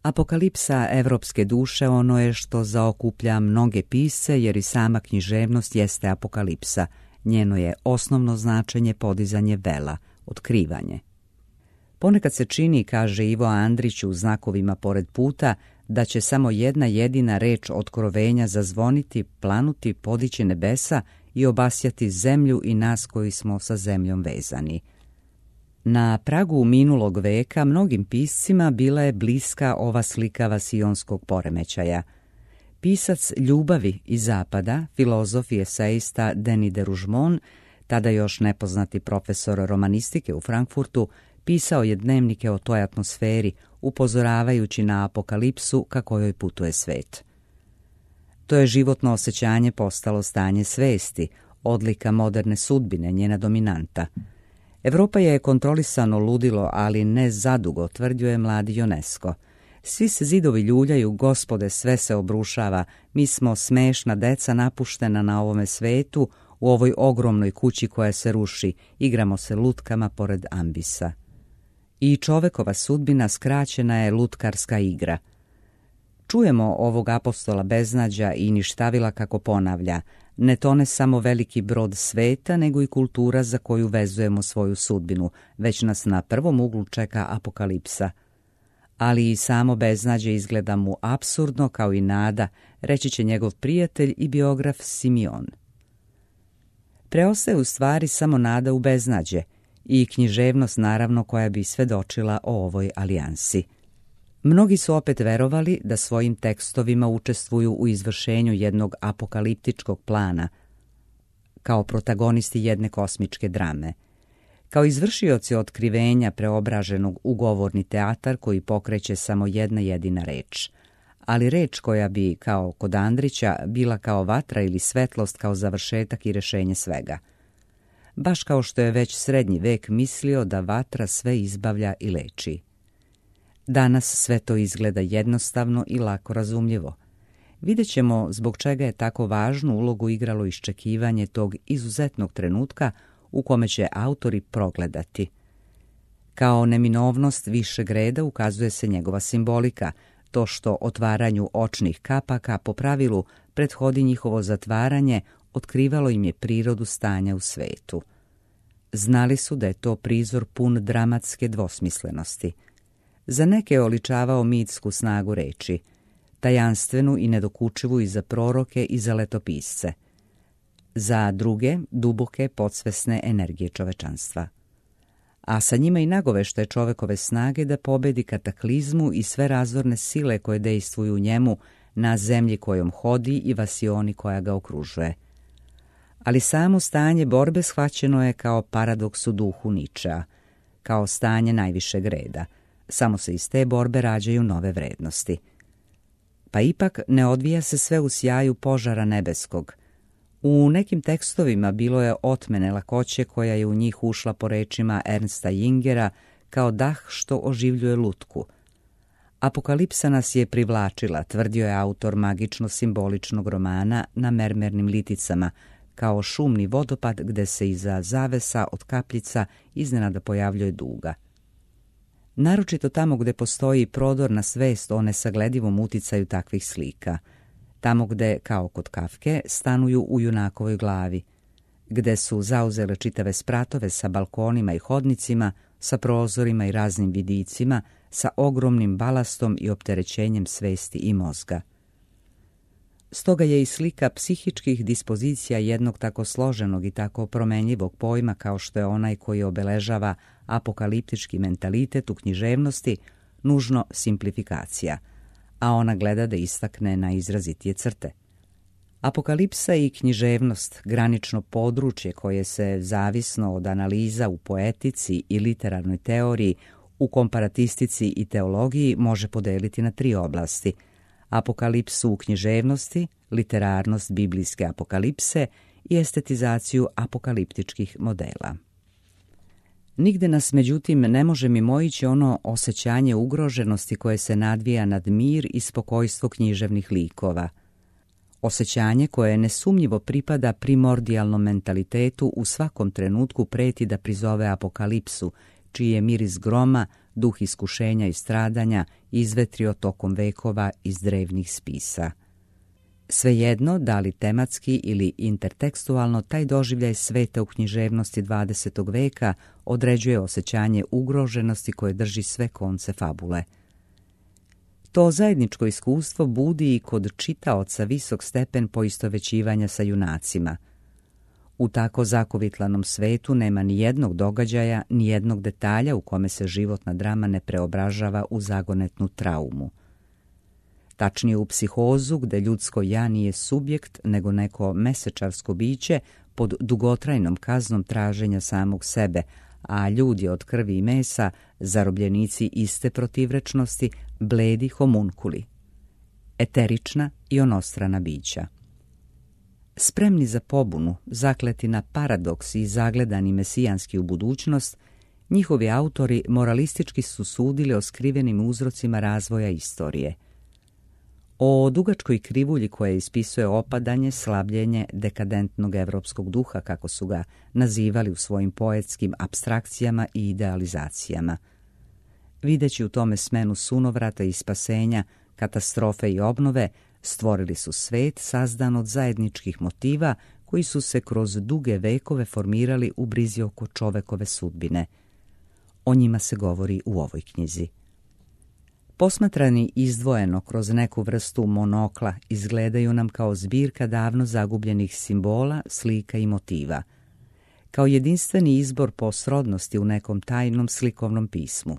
Apokalipsa evropske duše ono je što zaokuplja mnoge pisce, jer i sama književnost jeste apokalipsa. Njeno je osnovno značenje podizanje vela, otkrivanje. Ponekad se čini, kaže Ivo Andrić u Znakovima pored puta, da će samo jedna jedina reč otkrovenja zazvoniti, planuti, podići nebesa i obasjati zemlju i nas koji smo sa zemljom vezani. Na pragu minulog veka mnogim piscima bila je bliska ova slika vasionskog poremećaja. Pisac ljubavi iz zapada, filozof i esejista Denis de Rougemont, tada još nepoznati profesor romanistike u Frankfurtu, pisao je dnevnike o toj atmosferi, upozoravajući na apokalipsu ka kojoj putuje svet. To je životno osjećanje postalo stanje svesti, odlika moderne sudbine, njena dominanta. Evropa je kontrolisano ludilo, ali ne zadugo, tvrdio je mladi UNESCO. Svi se zidovi ljuljaju, gospode, sve se obrušava, mi smo smešna deca napuštena na ovome svetu, u ovoj ogromnoj kući koja se ruši, igramo se lutkama pored ambisa. I čovekova sudbina skraćena je lutkarska igra. Čujemo ovog apostola beznađa i ništavila kako ponavlja, ne tone samo veliki brod sveta, nego i kultura za koju vezujemo svoju sudbinu, već nas na prvom uglu čeka apokalipsa. Ali i samo beznađe izgleda mu apsurdno kao i nada, reći će njegov prijatelj i biograf Simeon. Preostaje u stvari samo nada u beznađe i književnost naravno koja bi svedočila o ovoj alijansi. Mnogi su opet verovali da svojim tekstovima učestvuju u izvršenju jednog apokaliptičkog plana, kao protagonisti jedne kosmičke drame. Kao izvršioci otkrivenja preobraženog u govorni teatar koji pokreće samo jedna jedina reč, ali reč koja bi, kao kod Andrića, bila kao vatra ili svetlost kao završetak i rešenje svega. Baš kao što je već srednji vek mislio da vatra sve izbavlja i leči. Danas sve to izgleda jednostavno i lako razumljivo. Vidjet ćemo zbog čega je tako važnu ulogu igralo iščekivanje tog izuzetnog trenutka u kome će autori progledati. Kao neminovnost višeg reda ukazuje se njegova simbolika, to što otvaranju očnih kapaka po pravilu prethodi njihovo zatvaranje, otkrivalo im je prirodu stanja u svetu. Znali su da je to prizor pun dramatske dvosmislenosti. Za neke je oličavao mitsku snagu reči, tajanstvenu i nedokučivu i za proroke i za letopisce. Za druge, duboke, podsvesne energije čovečanstva. A sa njima i nagoveštaje čovekove snage da pobedi kataklizmu i sve razorne sile koje dejstvuju u njemu na zemlji kojom hodi i vasioni koja ga okružuje. Ali samo stanje borbe shvaćeno je kao paradoks u duhu Ničea, kao stanje najvišeg reda. Samo se iz te borbe rađaju nove vrednosti. Pa ipak ne odvija se sve u sjaju požara nebeskog. U nekim tekstovima bilo je otmene lakoće koja je u njih ušla po rečima Ernsta Jingera kao dah što oživljuje lutku. Apokalipsa nas je privlačila, tvrdio je autor magično-simboličnog romana Na mermernim liticama, kao šumni vodopad gde se iza zavesa od kapljica iznenada pojavljuje duga. Naročito tamo gde postoji prodor na svest o nesagledivom uticaju takvih slika, tamo gde, kao kod Kafke, stanuju u junakovoj glavi, gde su zauzele čitave spratove sa balkonima i hodnicima, sa prozorima i raznim vidicima, sa ogromnim balastom i opterećenjem svesti i mozga. Stoga je i slika psihičkih dispozicija jednog tako složenog i tako promenljivog pojma kao što je onaj koji obeležava apokaliptički mentalitet u književnosti nužno simplifikacija, a ona gleda da istakne najizrazitije crte. Apokalipsa i književnost, granično područje koje se, zavisno od analiza u poetici i literarnoj teoriji, u komparatistici i teologiji može podeliti na 3 oblasti: apokalipsu u književnosti, literarnost biblijske apokalipse i estetizaciju apokaliptičkih modela. Nigde nas, međutim, ne može mimoići ono osjećanje ugroženosti koje se nadvija nad mir i spokojstvo književnih likova. Osjećanje koje nesumnjivo pripada primordijalnom mentalitetu u svakom trenutku preti da prizove apokalipsu, čiji je miris groma, duh iskušenja i stradanja, izvetrio tokom vekova iz drevnih spisa. Svejedno, da li tematski ili intertekstualno, taj doživljaj sveta u književnosti 20. veka određuje osjećanje ugroženosti koje drži sve konce fabule. To zajedničko iskustvo budi i kod čitaoca visok stepen poistovećivanja sa junacima. U tako zakovitlanom svetu nema ni jednog događaja, ni jednog detalja u kome se životna drama ne preobražava u zagonetnu traumu. Tačnije u psihozu, gde ljudsko ja nije subjekt, nego neko mesečarsko biće pod dugotrajnom kaznom traženja samog sebe, a ljudi od krvi i mesa, zarobljenici iste protivrečnosti, bledi homunkuli, eterična i onostrana bića. Spremni za pobunu, zakleti na paradoks i zagledani mesijanski u budućnost, njihovi autori moralistički su sudili o skrivenim uzrocima razvoja istorije. O dugačkoj krivulji koja ispisuje opadanje, slabljenje dekadentnog evropskog duha, kako su ga nazivali u svojim poetskim apstrakcijama i idealizacijama. Videći u tome smenu sunovrata i spasenja, katastrofe i obnove, stvorili su svet sazdan od zajedničkih motiva koji su se kroz duge vekove formirali u brizi oko čovekove sudbine. O njima se govori u ovoj knjizi. Posmatrani izdvojeno kroz neku vrstu monokla, izgledaju nam kao zbirka davno zagubljenih simbola, slika i motiva, kao jedinstveni izbor po srodnosti u nekom tajnom slikovnom pismu.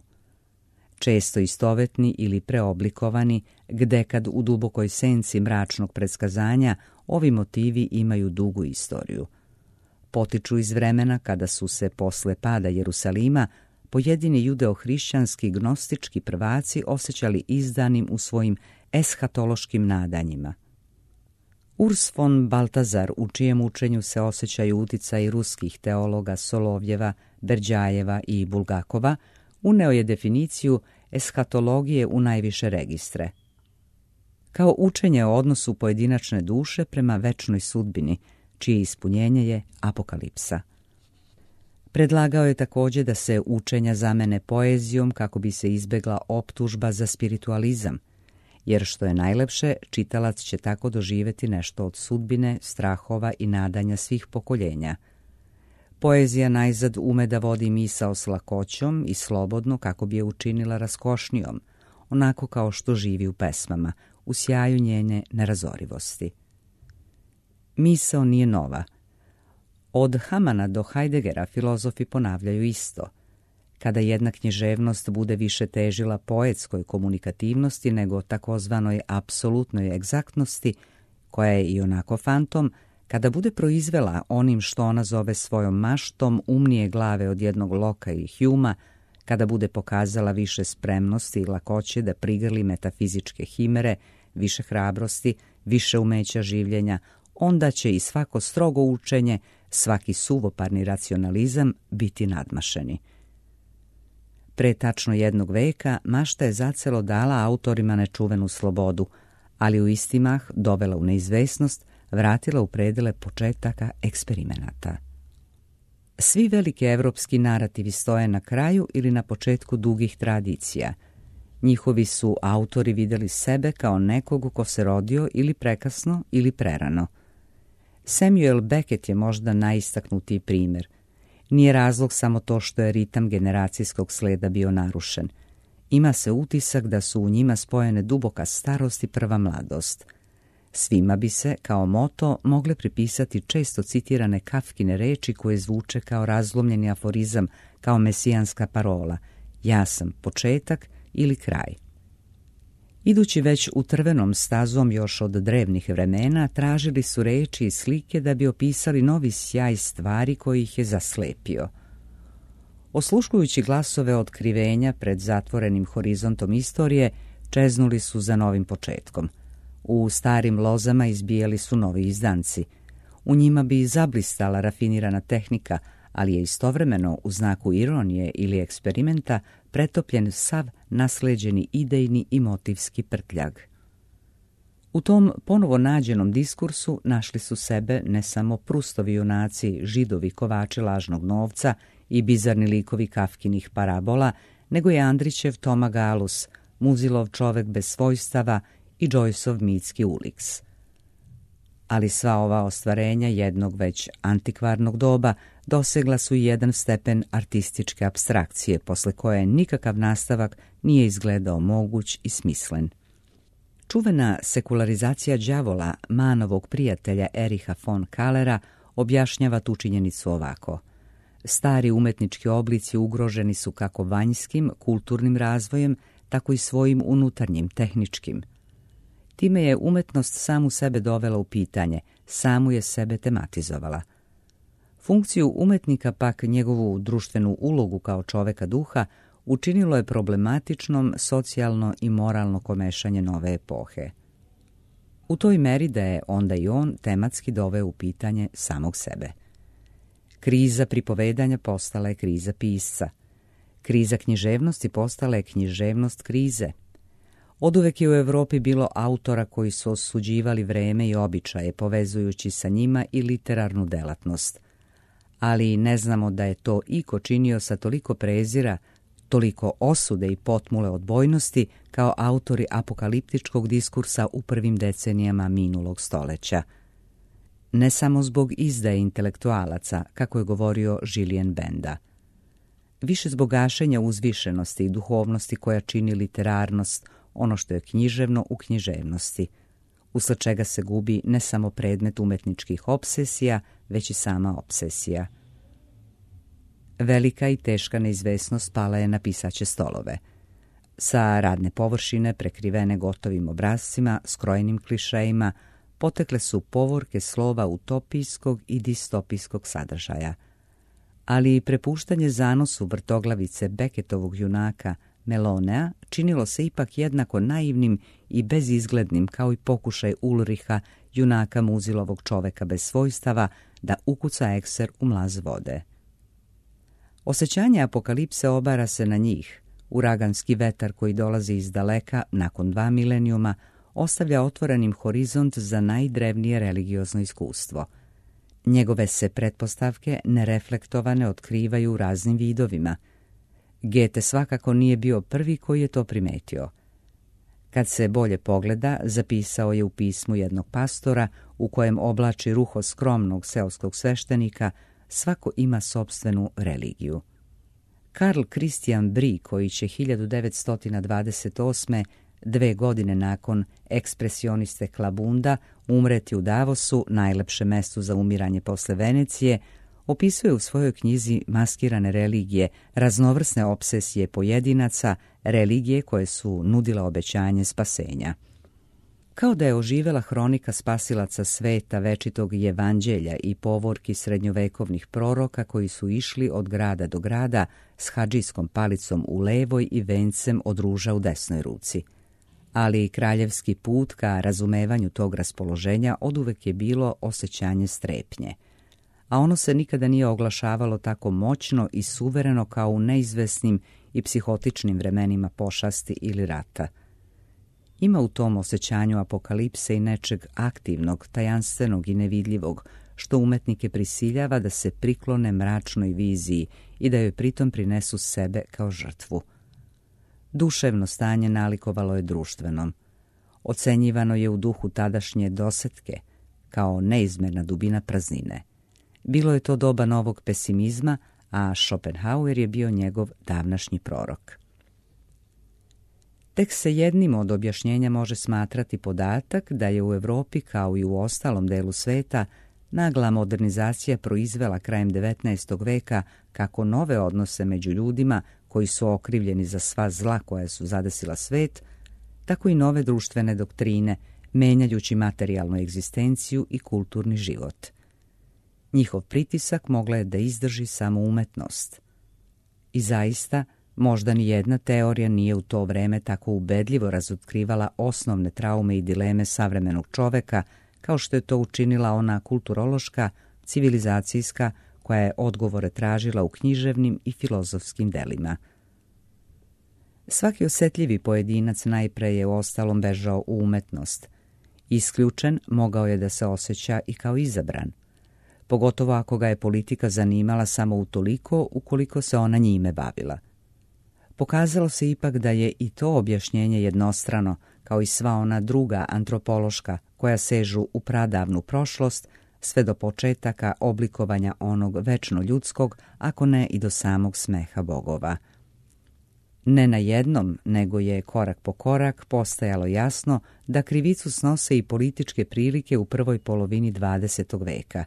Često istovetni ili preoblikovani, gde kad u dubokoj senci mračnog predskazanja ovi motivi imaju dugu istoriju. Potiču iz vremena kada su se posle pada Jerusalima pojedini judeo-hrišćanski gnostički prvaci osjećali izdanim u svojim eshatološkim nadanjima. Urs von Baltazar, u čijem učenju se osjećaju uticaj ruskih teologa Solovjeva, Berđajeva i Bulgakova, uneo je definiciju eshatologije u najviše registre. Kao učenje o odnosu pojedinačne duše prema večnoj sudbini, čije ispunjenje je apokalipsa. Predlagao je također da se učenja zamene poezijom kako bi se izbegla optužba za spiritualizam, jer što je najlepše, čitalac će tako doživjeti nešto od sudbine, strahova i nadanja svih pokoljenja. Poezija najzad ume da vodi misao s lakoćom i slobodno kako bi je učinila raskošnijom, onako kao što živi u pesmama, u sjaju njene nerazorivosti. Misao nije nova. Od Hamana do Heideggera filozofi ponavljaju isto. Kada jedna književnost bude više težila poetskoj komunikativnosti nego takozvanoj apsolutnoj egzaktnosti, koja je i onako fantom, kada bude proizvela onim što ona zove svojom maštom umnije glave od jednog Loka i Hjuma, kada bude pokazala više spremnosti i lakoće da prigrli metafizičke himere, više hrabrosti, više umeća življenja, onda će i svako strogo učenje, svaki suvoparni racionalizam biti nadmašeni. Pre tačno jednog veka mašta je zacelo dala autorima nečuvenu slobodu, ali u isti mah dovela u neizvesnost, vratila u predele početaka eksperimenata. Svi veliki evropski narativi stoje na kraju ili na početku dugih tradicija. Njihovi su autori vidjeli sebe kao nekog ko se rodio ili prekasno ili prerano. Samuel Beckett je možda najistaknutiji primjer. Nije razlog samo to što je ritam generacijskog sleda bio narušen. Ima se utisak da su u njima spojene duboka starost i prva mladost. Svima bi se, kao moto, mogle pripisati često citirane Kafkine reči koje zvuče kao razlomljeni aforizam, kao mesijanska parola: ja sam početak ili kraj. Idući već utrvenom stazom još od drevnih vremena, tražili su reči i slike da bi opisali novi sjaj stvari koji ih je zaslepio. Osluškujući glasove otkrivenja pred zatvorenim horizontom istorije, čeznuli su za novim početkom. U starim lozama izbijali su novi izdanci. U njima bi zablistala rafinirana tehnika, ali je istovremeno u znaku ironije ili eksperimenta pretopljen sav nasleđeni idejni i motivski prtljag. U tom ponovo nađenom diskursu našli su sebe ne samo Prustovi junaci, Židovi kovači lažnog novca i bizarni likovi Kafkinih parabola, nego je Andrićev Toma Galus, Muzilov Čovek bez svojstava i Joyceov mitski Ulix. Ali sva ova ostvarenja jednog već antikvarnog doba dosegla su i jedan stepen artističke apstrakcije, posle koje nikakav nastavak nije izgledao moguć i smislen. Čuvena sekularizacija đavola Manovog prijatelja Ericha von Kallera objašnjava tu činjenicu ovako. Stari umetnički oblici ugroženi su kako vanjskim, kulturnim razvojem, tako i svojim unutarnjim, tehničkim. Time je umetnost samu sebe dovela u pitanje, samu je sebe tematizovala. Funkciju umetnika, pak njegovu društvenu ulogu kao čoveka duha, učinilo je problematičnom socijalno i moralno komešanje nove epohe. U toj meri da je onda i on tematski doveo u pitanje samog sebe. Kriza pripovedanja postala je kriza pisca. Kriza književnosti postala je književnost krize. Oduvek je u Evropi bilo autora koji su osuđivali vreme i običaje, povezujući sa njima i literarnu delatnost. Ali ne znamo da je to iko činio sa toliko prezira, toliko osude i potmule odbojnosti kao autori apokaliptičkog diskursa u prvim decenijama minulog stoleća. Ne samo zbog izdaje intelektualaca, kako je govorio Julien Benda. Više zbog gašenja uzvišenosti i duhovnosti koja čini literarnost, ono što je književno u književnosti, usled čega se gubi ne samo predmet umetničkih opsesija, već i sama opsesija. Velika i teška neizvesnost pala je na pisaće stolove. Sa radne površine, prekrivene gotovim obrascima, skrojenim klišejima, potekle su povorke slova utopijskog i distopijskog sadržaja. Ali i prepuštanje zanosu vrtoglavice Beckettovog junaka Melonea činilo se ipak jednako naivnim i bezizglednim kao i pokušaj Ulriha, junaka Muzilovog Čoveka bez svojstava, da ukuca ekser u mlaz vode. Osjećanje apokalipse obara se na njih. Uraganski vetar koji dolazi iz daleka nakon 2 milenijuma ostavlja otvorenim horizont za najdrevnije religiozno iskustvo. Njegove se pretpostavke nereflektovane otkrivaju u raznim vidovima. Goethe svakako nije bio prvi koji je to primetio. Kad se bolje pogleda, zapisao je u pismu jednog pastora u kojem oblači ruho skromnog seoskog sveštenika, svako ima sopstvenu religiju. Karl Christian Brie, koji će 1928. 2 godine nakon ekspresioniste Klabunda umreti u Davosu, najlepše mesto za umiranje posle Venecije, opisuje u svojoj knjizi Maskirane religije raznovrsne opsesije pojedinaca, religije koje su nudile obećanje spasenja. Kao da je oživela hronika spasilaca sveta, večitog evanđelja i povorki srednjovekovnih proroka koji su išli od grada do grada s hadžijskom palicom u levoj i vencem od ruža u desnoj ruci. Ali i kraljevski put ka razumevanju tog raspoloženja oduvek je bilo osjećanje strepnje. A ono se nikada nije oglašavalo tako moćno i suvereno kao u neizvesnim i psihotičnim vremenima pošasti ili rata. Ima u tom osjećanju apokalipse i nečeg aktivnog, tajanstvenog i nevidljivog, što umetnike prisiljava da se priklone mračnoj viziji i da joj pritom prinesu sebe kao žrtvu. Duševno stanje nalikovalo je društvenom. Ocenjivano je u duhu tadašnje dosetke, kao neizmerna dubina praznine. Bilo je to doba novog pesimizma, a Schopenhauer je bio njegov davnašnji prorok. Tek se jednim od objašnjenja može smatrati podatak da je u Evropi, kao i u ostalom delu sveta, nagla modernizacija proizvela krajem 19. veka kako nove odnose među ljudima koji su okrivljeni za sva zla koja su zadesila svet, tako i nove društvene doktrine, menjajući materijalnu egzistenciju i kulturni život. Njihov pritisak mogla je da izdrži samo umetnost. I zaista, možda ni jedna teorija nije u to vreme tako ubedljivo razotkrivala osnovne traume i dileme savremenog čoveka, kao što je to učinila ona kulturološka, civilizacijska, koja je odgovore tražila u književnim i filozofskim delima. Svaki osjetljivi pojedinac najpre je u ostalom bežao u umetnost. Isključen mogao je da se osjeća i kao izabran. pogotovo ako ga je politika zanimala samo utoliko ukoliko se ona njime bavila. Pokazalo se ipak da je i to objašnjenje jednostrano, kao i sva ona druga antropološka koja sežu u pradavnu prošlost, sve do početaka oblikovanja onog večno ljudskog, ako ne i do samog smeha bogova. Ne na jednom, nego je korak po korak postajalo jasno da krivicu snose i političke prilike u prvoj polovini 20. veka.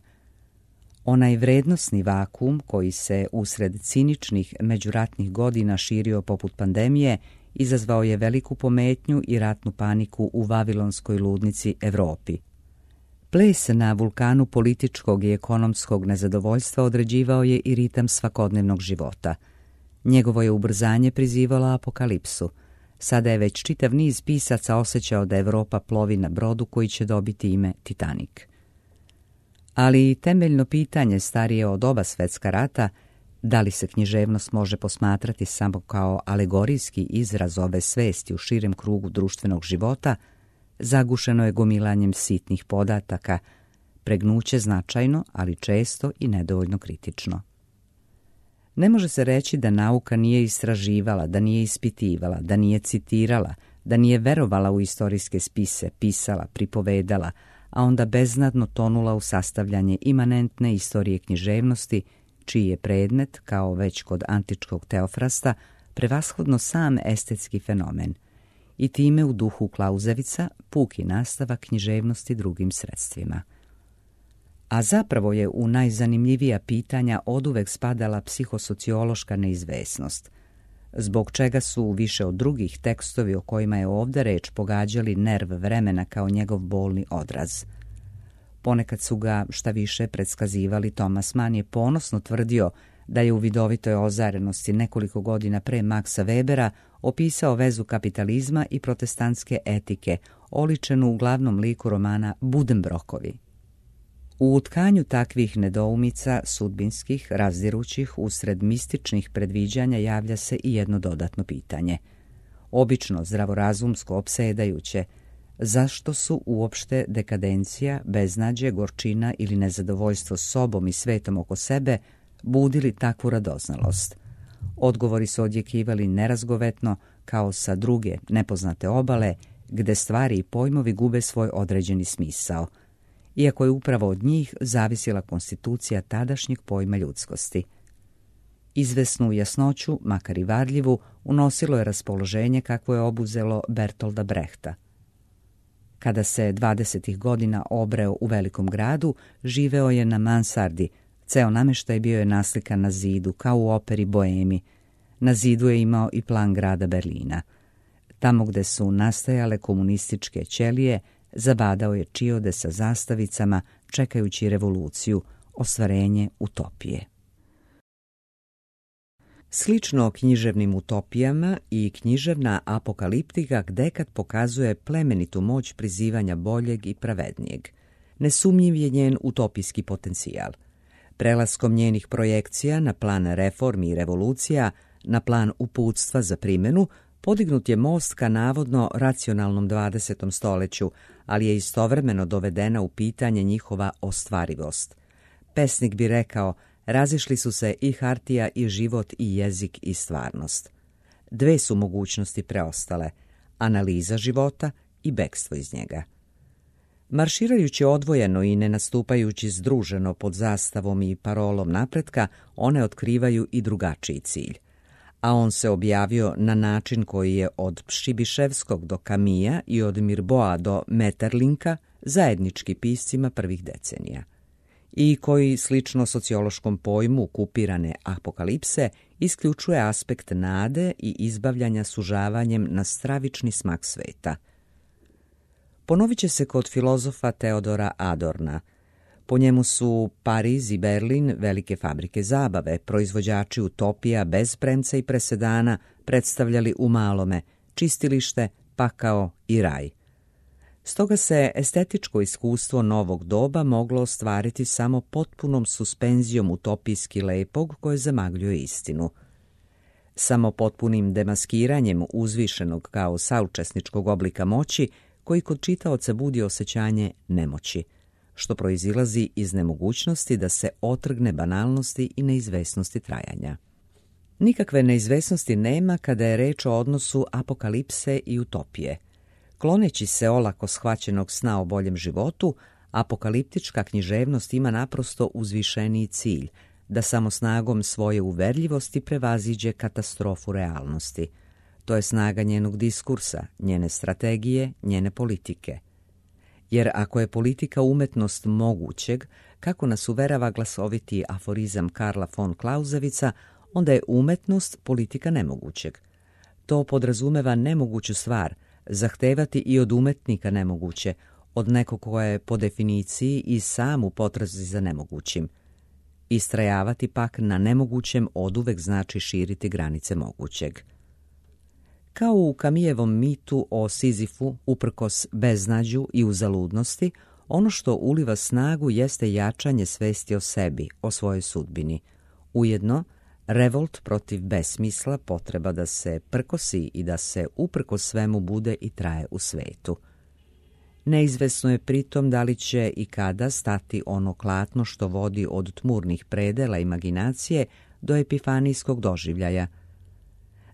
Onaj vrednosni vakuum koji se usred ciničnih međuratnih godina širio poput pandemije izazvao je veliku pometnju i ratnu paniku u vavilonskoj ludnici Evropi. Ples na vulkanu političkog i ekonomskog nezadovoljstva određivao je i ritam svakodnevnog života. Njegovo je ubrzanje prizivalo apokalipsu. Sada je već čitav niz pisaca osjećao da Evropa plovi na brodu koji će dobiti ime Titanik. Ali temeljno pitanje starije od oba svjetska rata, da li se književnost može posmatrati samo kao alegorijski izraz ove svesti u širem krugu društvenog života, zagušeno je gomilanjem sitnih podataka, pregnuće značajno, ali često i nedovoljno kritično. Ne može se reći da nauka nije istraživala, da nije ispitivala, da nije citirala, da nije verovala u istorijske spise, pisala, pripovedala, a onda beznadno tonula u sastavljanje imanentne istorije književnosti, čiji je predmet, kao već kod antičkog Teofrasta, prevashodno sam estetski fenomen, i time u duhu Klauzevica puki nastavak književnosti drugim sredstvima. A zapravo je u najzanimljivija pitanja oduvek spadala psihosociološka neizvesnost, zbog čega su više od drugih tekstovi o kojima je ovdje reč pogađali nerv vremena kao njegov bolni odraz. Ponekad su ga šta više predskazivali. Thomas Mann je ponosno tvrdio da je u vidovitoj ozarenosti nekoliko godina pre Maxa Webera opisao vezu kapitalizma i protestantske etike, oličenu u glavnom liku romana Buddenbrookovi. U utkanju takvih nedoumica, sudbinskih, razdirućih, usred mističnih predviđanja javlja se i jedno dodatno pitanje. Obično zdravorazumsko opsedajuće, zašto su uopšte dekadencija, beznađe, gorčina ili nezadovoljstvo sobom i svetom oko sebe budili takvu radoznalost? Odgovori su odjekivali nerazgovetno, kao sa druge, nepoznate obale, gde stvari i pojmovi gube svoj određeni smisao, iako je upravo od njih zavisila konstitucija tadašnjeg pojma ljudskosti. Izvesnu jasnoću, makar i varljivu, unosilo je raspoloženje kakvo je obuzelo Bertolda Brehta. Kada se 20. godina obreo u velikom gradu, živeo je na mansardi, ceo nameštaj bio je naslikan na zidu, kao u operi Boemi. Na zidu je imao i plan grada Berlina. Tamo gde su nastajale komunističke ćelije, zabadao je čiode sa zastavicama, čekajući revoluciju, ostvarenje utopije. Slično književnim utopijama i književna apokaliptika gdekad pokazuje plemenitu moć prizivanja boljeg i pravednijeg. Nesumnjiv je njen utopijski potencijal. Prelaskom njenih projekcija na plan reformi i revolucija, na plan uputstva za primjenu, podignut je most ka navodno racionalnom 20. stoljeću, ali je istovremeno dovedena u pitanje njihova ostvarivost. Pesnik bi rekao, razišli su se i hartija i život i jezik i stvarnost. Dve su mogućnosti preostale, analiza života i bekstvo iz njega. Marširajući odvojeno i ne nastupajući združeno pod zastavom i parolom napretka, one otkrivaju i drugačiji cilj. A on se objavio na način koji je od Pšibiševskog do Kamija i od Mirboa do Metterlinka zajednički piscima prvih decenija, i koji, slično sociološkom pojmu kupirane apokalipse, isključuje aspekt nade i izbavljanja sužavanjem na stravični smak sveta. Ponovit će se kod filozofa Teodora Adorna. Po njemu su Pariz i Berlin velike fabrike zabave, proizvođači utopija bez premca i presedana predstavljali u malome čistilište, pakao i raj. Stoga se estetičko iskustvo novog doba moglo ostvariti samo potpunom suspenzijom utopijski lepog koje zamagljuje istinu. Samo potpunim demaskiranjem uzvišenog kao saučesničkog oblika moći koji kod čitaoca budi osjećanje nemoći. što proizilazi iz nemogućnosti da se otrgne banalnosti i neizvesnosti trajanja. Nikakve neizvesnosti nema kada je reč o odnosu apokalipse i utopije. Kloneći se olako shvaćenog sna o boljem životu, apokaliptička književnost ima naprosto uzvišeniji cilj, da samo snagom svoje uverljivosti prevaziđe katastrofu realnosti. To je snaga njenog diskursa, njene strategije, njene politike. Jer ako je politika umetnost mogućeg, kako nas uverava glasoviti aforizam Karla von Clausewitza, onda je umetnost politika nemogućeg. To podrazumeva nemoguću stvar, zahtevati i od umetnika nemoguće, od nekog koja je po definiciji i sam u potrazi za nemogućim. Istrajavati pak na nemogućem oduvek znači širiti granice mogućeg. Kao u Kamijevom mitu o Sizifu, uprkos beznađu i uzaludnosti, ono što uliva snagu jeste jačanje svesti o sebi, o svojoj sudbini. Ujedno, revolt protiv besmisla, potreba da se prkosi i da se uprkos svemu bude i traje u svetu. Neizvesno je pritom da li će i kada stati ono klatno što vodi od tmurnih predela imaginacije do epifanijskog doživljaja.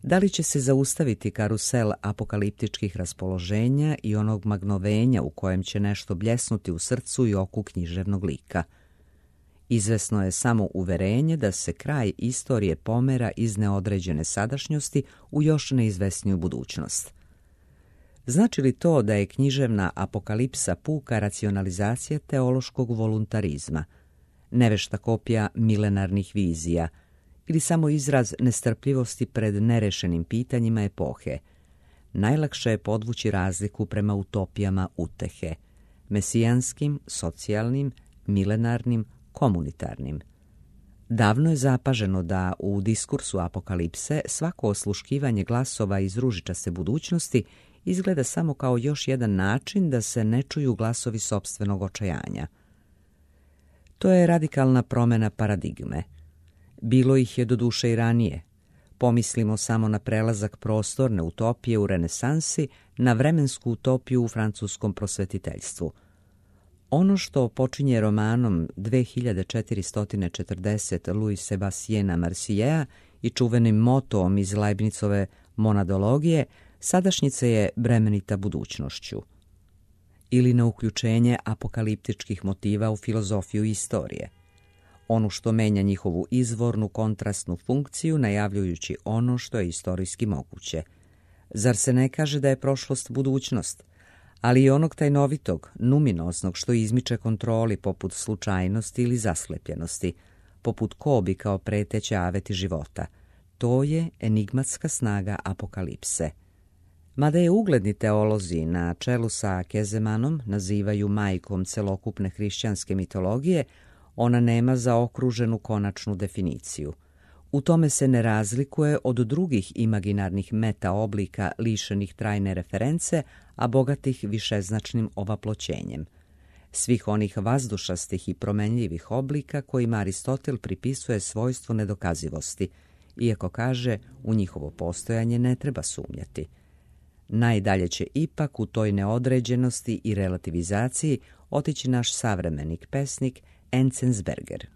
Da li će se zaustaviti karusel apokaliptičkih raspoloženja i onog magnovenja u kojem će nešto bljesnuti u srcu i oku književnog lika. Izvesno je samo uverenje da se kraj istorije pomera iz neodređene sadašnjosti u još neizvesniju budućnost. Znači li to da je književna apokalipsa puka racionalizacija teološkog voluntarizma, nevešta kopija milenarnih vizija, ili samo izraz nestrpljivosti pred nerešenim pitanjima epohe? Najlakše je podvući razliku prema utopijama utehe, mesijanskim, socijalnim, milenarnim, komunitarnim. Davno je zapaženo da u diskursu apokalipse svako osluškivanje glasova iz ružičaste budućnosti izgleda samo kao još jedan način da se ne čuju glasovi sopstvenog očajanja. To je radikalna promjena paradigme. Bilo ih je doduše i ranije. Pomislimo samo na prelazak prostorne utopije u renesansi na vremensku utopiju u francuskom prosvetiteljstvu. Ono što počinje romanom 2440 Louis Sébastiena Marsiljea i čuvenim motom iz Leibnicove monadologije, sadašnjica je bremenita budućnošću. Ili na uključenje apokaliptičkih motiva u filozofiju istorije. Ono što menja njihovu izvornu kontrastnu funkciju najavljujući ono što je istorijski moguće. Zar se ne kaže da je prošlost budućnost, ali i onog tajnovitog, numinoznog što izmiče kontroli poput slučajnosti ili zaslepljenosti, poput kobi kao preteće aveti života. To je enigmatska snaga apokalipse. Mada je ugledni teolozi na čelu sa Kezemanom nazivaju majkom celokupne hrišćanske mitologije, ona nema zaokruženu konačnu definiciju. U tome se ne razlikuje od drugih imaginarnih meta-oblika lišenih trajne reference, a bogatih višeznačnim ovaploćenjem. Svih onih vazdušastih i promenljivih oblika kojima Aristotel pripisuje svojstvo nedokazivosti, iako kaže u njihovo postojanje ne treba sumnjati. Najdalje će ipak u toj neodređenosti i relativizaciji otići naš savremenik pesnik Enzensberger.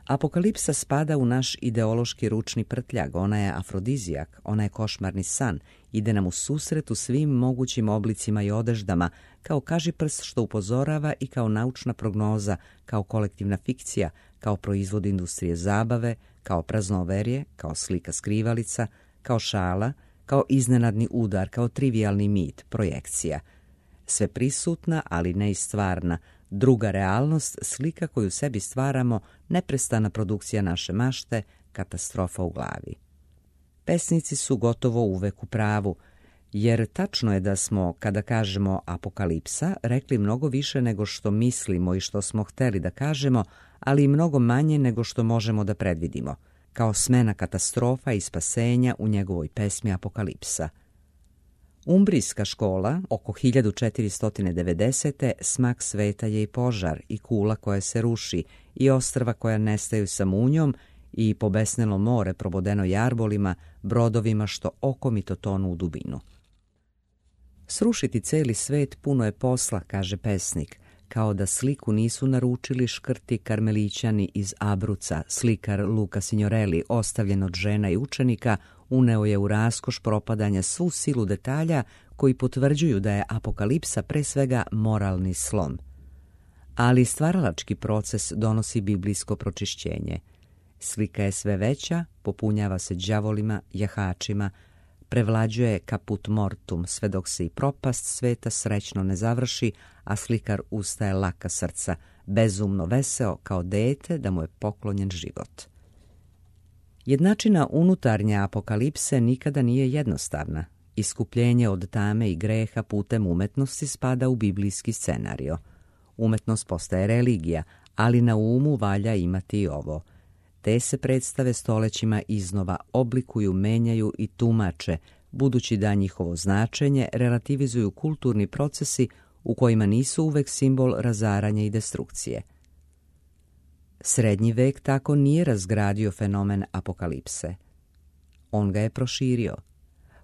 Apokalipsa spada u naš ideološki ručni prtljag, ona je afrodizijak, ona je košmarni san, ide nam u susret u svim mogućim oblicima i odeždama, kao kažiprst što upozorava i kao naučna prognoza, kao kolektivna fikcija, kao proizvod industrije zabave, kao praznoverje, kao slika skrivalica, kao šala, kao iznenadni udar, kao trivijalni mit, projekcija. Sve prisutna, ali ne i stvarna, druga realnost, slika koju sebi stvaramo, neprestana produkcija naše mašte, katastrofa u glavi. Pesnici su gotovo uvek u pravu, jer tačno je da smo, kada kažemo apokalipsa, rekli mnogo više nego što mislimo i što smo hteli da kažemo, ali i mnogo manje nego što možemo da predvidimo, kao smena katastrofa i spasenja u njegovoj pesmi Apokalipsa. Umbrijska škola, oko 1490. smak sveta je i požar, i kula koja se ruši, i ostrva koja nestaju sa munjom, i pobesnelo more probodeno jarbolima, brodovima što okomito tonu u dubinu. Srušiti celi svet puno je posla, kaže pesnik, kao da sliku nisu naručili škrti karmelićani iz Abruca, slikar Luca Signorelli, ostavljen od žena i učenika, uneo je u raskoš propadanja svu silu detalja koji potvrđuju da je apokalipsa pre svega moralni slom. Ali stvaralački proces donosi biblijsko pročišćenje. Slika je sve veća, popunjava se đavolima, jahačima, prevlađuje caput mortum, sve dok se i propast sveta srećno ne završi, a slikar ustaje laka srca, bezumno veseo kao dete da mu je poklonjen život. Jednačina unutarnje apokalipse nikada nije jednostavna. Iskupljenje od tame i greha putem umetnosti spada u biblijski scenario. Umetnost postaje religija, ali na umu valja imati i ovo. Te se predstave stolećima iznova oblikuju, menjaju i tumače, budući da njihovo značenje relativizuju kulturni procesi u kojima nisu uvek simbol razaranja i destrukcije. Srednji vek tako nije razgradio fenomen apokalipse. On ga je proširio.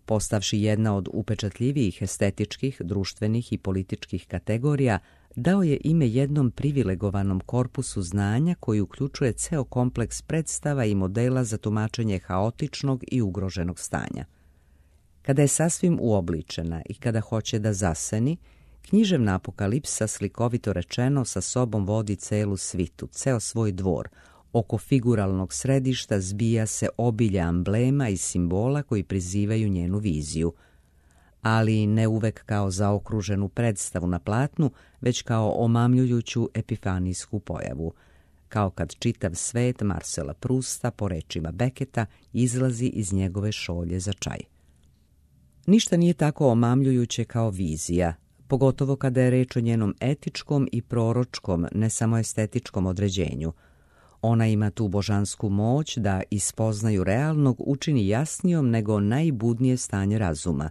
Postavši jedna od upečatljivijih estetičkih, društvenih i političkih kategorija, dao je ime jednom privilegovanom korpusu znanja koji uključuje ceo kompleks predstava i modela za tumačenje haotičnog i ugroženog stanja. Kada je sasvim uobličena i kada hoće da zaseni, književna apokalipsa, slikovito rečeno, sa sobom vodi celu svitu, ceo svoj dvor. Oko figuralnog središta zbija se obilje amblema i simbola koji prizivaju njenu viziju, ali ne uvek kao zaokruženu predstavu na platnu, već kao omamljujuću epifanijsku pojavu, kao kad čitav svet Marcela Prusta, po rečima Beketa, izlazi iz njegove šolje za čaj. Ništa nije tako omamljujuće kao vizija, pogotovo kada je reč o njenom etičkom i proročkom, ne samo estetičkom određenju. Ona ima tu božansku moć da iz spoznaju realnog učini jasnijom nego najbudnije stanje razuma.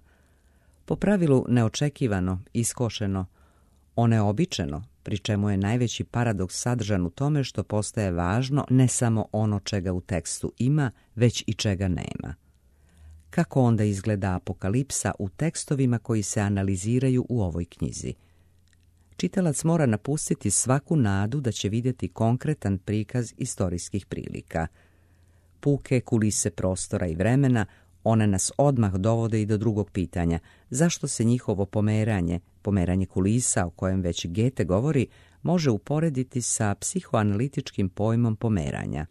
Po pravilu neočekivano, iskošeno, oneobičeno, pri čemu je najveći paradoks sadržan u tome što postaje važno ne samo ono čega u tekstu ima, već i čega nema. Kako onda izgleda apokalipsa u tekstovima koji se analiziraju u ovoj knjizi? Čitalac mora napustiti svaku nadu da će vidjeti konkretan prikaz istorijskih prilika. Puke kulise prostora i vremena, one nas odmah dovode i do drugog pitanja. Zašto se njihovo pomeranje kulisa, o kojem već Goethe govori, može uporediti sa psihoanalitičkim pojmom pomeranja?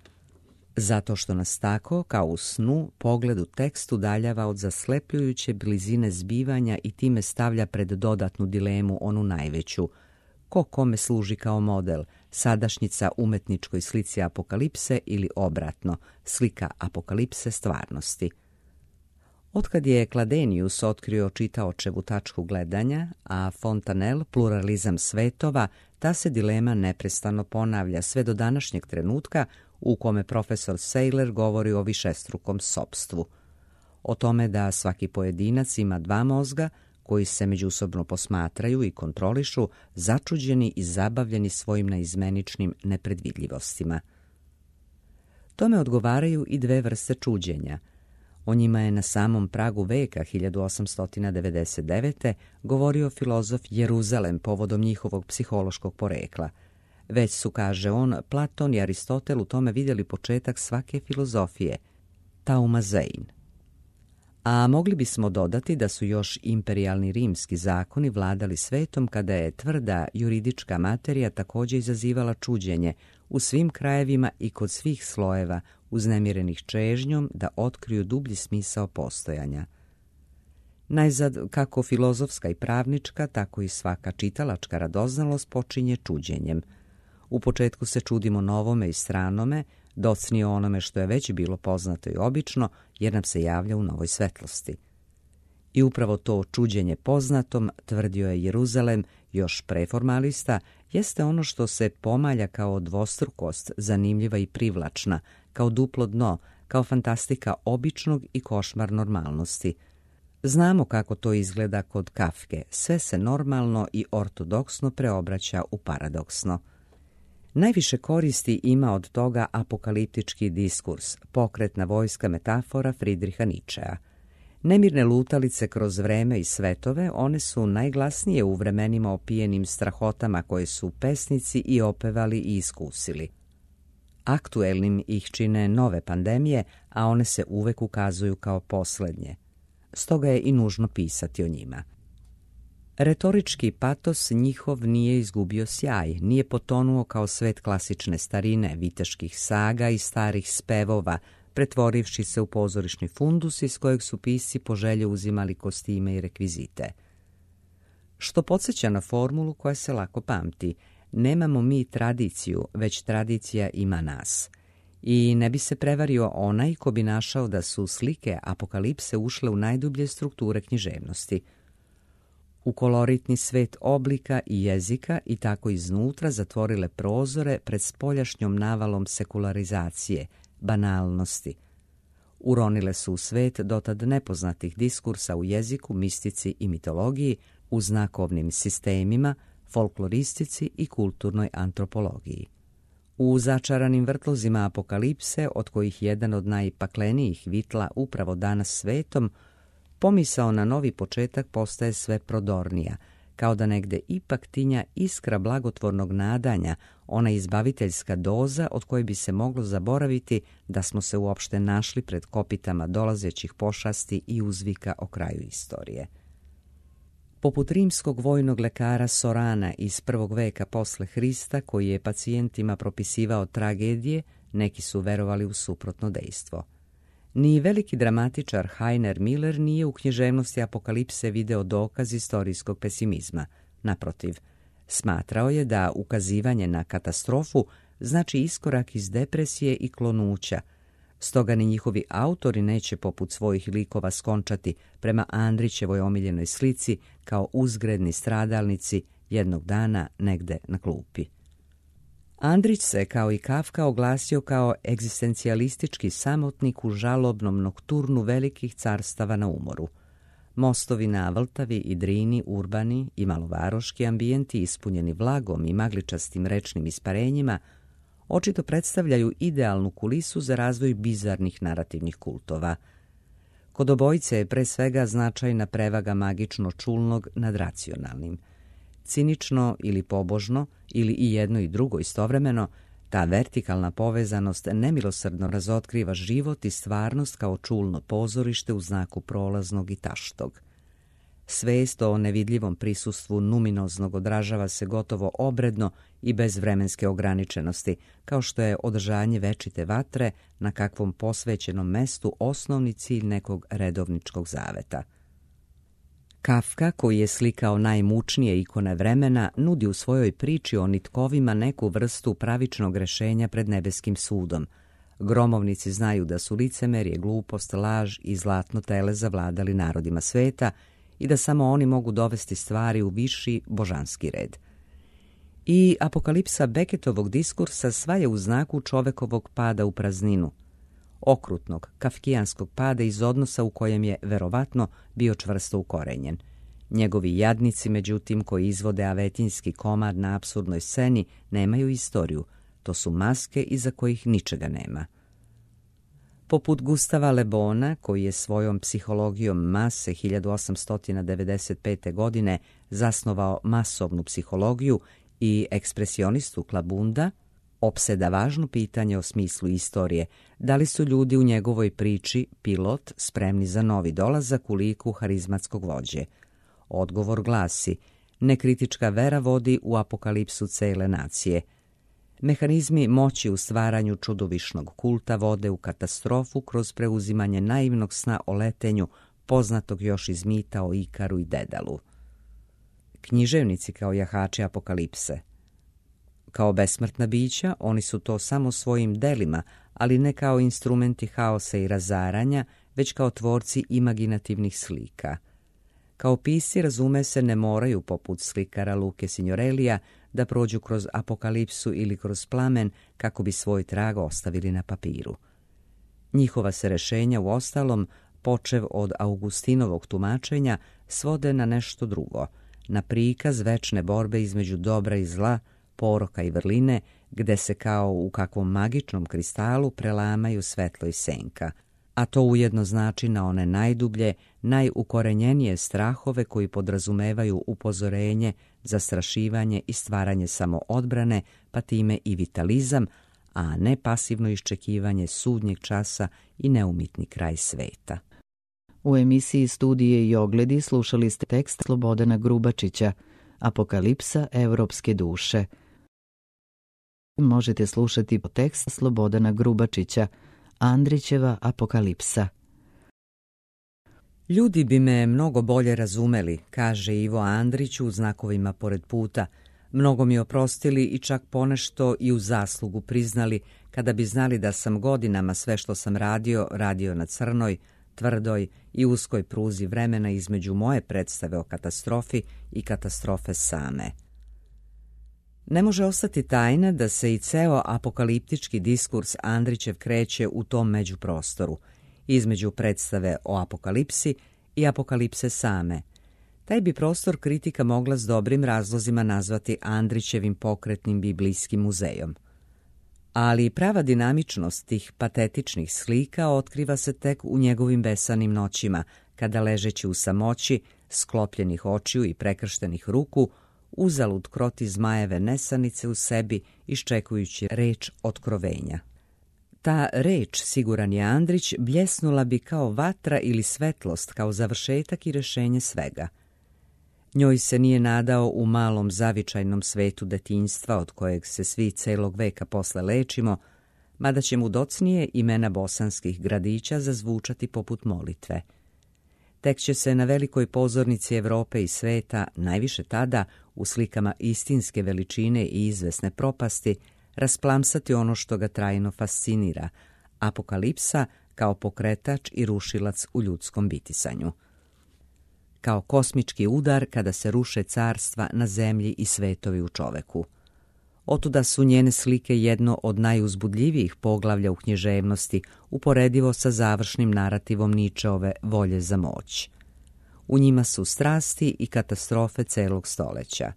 Zato što nas tako, kao u snu, pogled u tekst udaljava od zaslepljujuće blizine zbivanja i time stavlja pred dodatnu dilemu, onu najveću. Ko kome služi kao model, sadašnjica umetničkoj slici apokalipse ili obratno, slika apokalipse stvarnosti? Otkad je Kladenius otkrio čitaočevu tačku gledanja, a Fontanelle pluralizam svetova, ta se dilema neprestano ponavlja sve do današnjeg trenutka u kome profesor Seyler govori o višestrukom sopstvu. O tome da svaki pojedinac ima dva mozga koji se međusobno posmatraju i kontrolišu, začuđeni i zabavljeni svojim naizmeničnim nepredvidljivostima. Tome odgovaraju i dve vrste čuđenja. O njima je na samom pragu veka 1899. govorio filozof Jeruzalem povodom njihovog psihološkog porekla. Već su, kaže on, Platon i Aristotel u tome vidjeli početak svake filozofije, taumazein. A mogli bismo dodati da su još imperijalni rimski zakoni vladali svetom kada je tvrda juridička materija također izazivala čuđenje u svim krajevima i kod svih slojeva, uznemirenih čežnjom da otkriju dublji smisao postojanja. Najzad, kako filozofska i pravnička, tako i svaka čitalačka radoznalost počinje čuđenjem. U početku se čudimo novome i stranome, docnije onome što je već bilo poznato i obično, jer nam se javlja u novoj svetlosti. I upravo to čuđenje poznatom, tvrdio je Jeruzalem, još preformalista, jeste ono što se pomalja kao dvostrukost, zanimljiva i privlačna, kao duplo dno, kao fantastika običnog i košmar normalnosti. Znamo kako to izgleda kod Kafke, sve se normalno i ortodoksno preobraća u paradoksno. Najviše koristi ima od toga apokaliptički diskurs, pokretna vojska metafora Friedricha Nietzschea. Nemirne lutalice kroz vreme i svetove, one su najglasnije u vremenima opijenim strahotama koje su pesnici i opevali i iskusili. Aktuelnim ih čine nove pandemije, a one se uvek ukazuju kao poslednje. Stoga je i nužno pisati o njima. Retorički patos njihov nije izgubio sjaj, nije potonuo kao svet klasične starine, viteških saga i starih spevova, pretvorivši se u pozorišni fundus iz kojeg su pisci po želji uzimali kostime i rekvizite. Što podsjeća na formulu koja se lako pamti: nemamo mi tradiciju, već tradicija ima nas. I ne bi se prevario onaj ko bi našao da su slike apokalipse ušle u najdublje strukture književnosti, u koloritni svet oblika i jezika i tako iznutra zatvorile prozore pred spoljašnjom navalom sekularizacije, banalnosti. Uronile su u svet dotad nepoznatih diskursa u jeziku, mistici i mitologiji, u znakovnim sistemima, folkloristici i kulturnoj antropologiji. U začaranim vrtlozima apokalipse, od kojih jedan od najpaklenijih vitla upravo danas svetom, pomisao na novi početak postaje sve prodornija, kao da negde ipak tinja iskra blagotvornog nadanja, ona izbaviteljska doza od koje bi se moglo zaboraviti da smo se uopšte našli pred kopitama dolazećih pošasti i uzvika o kraju istorije. Poput rimskog vojnog lekara Sorana iz 1. veka posle Hrista, koji je pacijentima propisivao tragedije, neki su verovali u suprotno dejstvo. Ni veliki dramatičar Heiner Miller nije u književnosti apokalipse video dokaz istorijskog pesimizma. Naprotiv, smatrao je da ukazivanje na katastrofu znači iskorak iz depresije i klonuća, stoga ni njihovi autori neće poput svojih likova skončati prema Andrićevoj omiljenoj slici kao uzgredni stradalnici jednog dana negde na klupi. Andrić se, kao i Kafka, oglasio kao egzistencijalistički samotnik u žalobnom nokturnu velikih carstava na umoru. Mostovi na Vltavi i Drini, urbani i malovaroški ambijenti ispunjeni vlagom i magličastim rečnim isparenjima, očito predstavljaju idealnu kulisu za razvoj bizarnih narativnih kultova. Kod obojice je pre svega značajna prevaga magično čulnog nad racionalnim. Cinično ili pobožno, ili i jedno i drugo istovremeno, ta vertikalna povezanost nemilosrdno razotkriva život i stvarnost kao čulno pozorište u znaku prolaznog i taštog. Svest o nevidljivom prisustvu numinoznog odražava se gotovo obredno i bez vremenske ograničenosti, kao što je održanje večite vatre na kakvom posvećenom mestu osnovni cilj nekog redovničkog zaveta. Kafka, koji je slikao najmučnije ikone vremena, nudi u svojoj priči o nitkovima neku vrstu pravičnog rešenja pred nebeskim sudom. Gromovnici znaju da su licemerje, glupost, laž i zlatno tele zavladali narodima sveta i da samo oni mogu dovesti stvari u viši božanski red. I apokalipsa Beketovog diskursa sva je u znaku čovekovog pada u prazninu, okrutnog, kafkijanskog pada iz odnosa u kojem je, verovatno, bio čvrsto ukorenjen. Njegovi jadnici, međutim, koji izvode avetinjski komad na apsurdnoj sceni, nemaju istoriju. To su maske iza kojih ničega nema. Poput Gustava Le Bona, koji je svojom psihologijom mase 1895. godine zasnovao masovnu psihologiju, i ekspresionistu Klabunda, opseda važno pitanje o smislu istorije, da li su ljudi u njegovoj priči, pilot, spremni za novi dolazak u liku harizmatskog vođe. Odgovor glasi: nekritička vera vodi u apokalipsu cele nacije. Mehanizmi moći u stvaranju čudovišnog kulta vode u katastrofu kroz preuzimanje naivnog sna o letenju, poznatog još iz mita o Ikaru i Dedalu. Književnici kao jahači apokalipse. Kao besmrtna bića, oni su to samo svojim delima, ali ne kao instrumenti haosa i razaranja, već kao tvorci imaginativnih slika. Kao pisci, razume se, ne moraju, poput slikara Luke Signorelija, da prođu kroz apokalipsu ili kroz plamen kako bi svoj trag ostavili na papiru. Njihova se rešenja, uostalom, počev od Augustinovog tumačenja, svode na nešto drugo, na prikaz večne borbe između dobra i zla, poroka i vrline, gde se kao u kakvom magičnom kristalu prelamaju svetlo i senka, a to ujedno znači na one najdublje, najukorenjenije strahove koji podrazumevaju upozorenje, zastrašivanje i stvaranje samoodbrane, pa time i vitalizam, a ne pasivno iščekivanje sudnjeg časa i neumitni kraj sveta. U emisiji Studije i ogledi slušali ste tekst Slobodana Grubačića, Apokalipsa evropske duše. Možete slušati tekst Slobodana Grubačića, Andrićeva Apokalipsa. Ljudi bi me mnogo bolje razumeli, kaže Ivo Andrić u Znakovima pored puta. Mnogo mi oprostili i čak ponešto i u zaslugu priznali kada bi znali da sam godinama sve što sam radio na crnoj, tvrdoj i uskoj pruzi vremena između moje predstave o katastrofi i katastrofe same. Ne može ostati tajna da se i ceo apokaliptički diskurs Andrićev kreće u tom međuprostoru, između predstave o apokalipsi i apokalipse same. Taj bi prostor kritika mogla s dobrim razlozima nazvati Andrićevim pokretnim biblijskim muzejom. Ali prava dinamičnost tih patetičnih slika otkriva se tek u njegovim besanim noćima, kada ležeći u samoći, sklopljenih očiju i prekrštenih ruku, uzalud kroti zmajeve nesanice u sebi, iščekujući reč otkrovenja. Ta reč, siguran je Andrić, bljesnula bi kao vatra ili svetlost, kao završetak i rešenje svega. Njoj se nije nadao u malom zavičajnom svetu detinjstva od kojeg se svi celog veka posle lečimo, mada će mu docnije imena bosanskih gradića zazvučati poput molitve. Tek će se na velikoj pozornici Evrope i sveta, najviše tada, u slikama istinske veličine i izvesne propasti, rasplamsati ono što ga trajno fascinira, apokalipsa kao pokretač i rušilac u ljudskom bitisanju. Kao kosmički udar kada se ruše carstva na zemlji i svetovi u čoveku. Otuda su njene slike jedno od najuzbudljivijih poglavlja u književnosti, uporedivo sa završnim narativom Ničeove Volje za moć. U njima su strasti i katastrofe celog stoleća.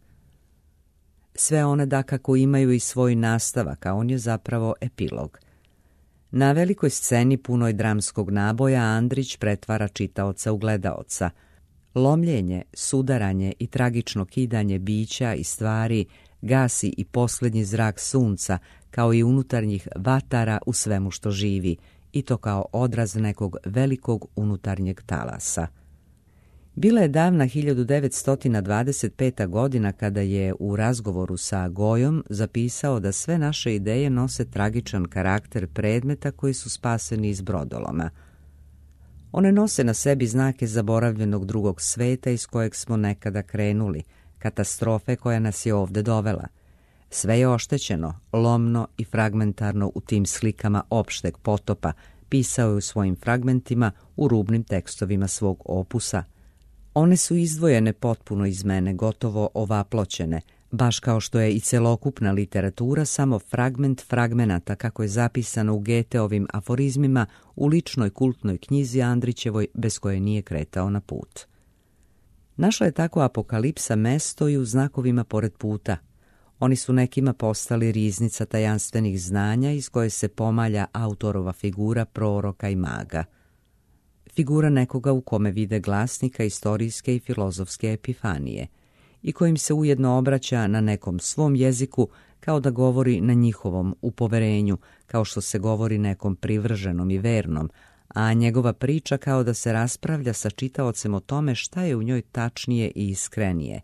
Sve one dakako imaju i svoj nastavak, a on je zapravo epilog. Na velikoj sceni punoj dramskog naboja Andrić pretvara čitaoca u gledaoca. Lomljenje, sudaranje i tragično kidanje bića i stvari gasi i posljednji zrak sunca, kao i unutarnjih vatara u svemu što živi, i to kao odraz nekog velikog unutarnjeg talasa. Bila je davna 1925. godina kada je u razgovoru sa Gojom zapisao da sve naše ideje nose tragičan karakter predmeta koji su spaseni iz brodoloma. One nose na sebi znake zaboravljenog drugog sveta iz kojeg smo nekada krenuli, katastrofe koja nas je ovde dovela. Sve je oštećeno, lomno i fragmentarno u tim slikama opšteg potopa, pisao je u svojim fragmentima u rubnim tekstovima svog opusa. One su izdvojene potpuno iz mene, gotovo ovaploćene, baš kao što je i celokupna literatura samo fragment fragmenata, kako je zapisano u Goetheovim aforizmima u ličnoj kultnoj knjizi Andrićevoj, bez koje nije kretao na put. Našla je tako apokalipsa mesto i u Znakovima pored puta. Oni su nekima postali riznica tajanstvenih znanja iz koje se pomalja autorova figura proroka i maga. Figura nekoga u kome vide glasnika istorijske i filozofske epifanije i kojim se ujedno obraća na nekom svom jeziku kao da govori na njihovom u poverenju, kao što se govori nekom privrženom i vernom, a njegova priča kao da se raspravlja sa čitaocem o tome šta je u njoj tačnije i iskrenije.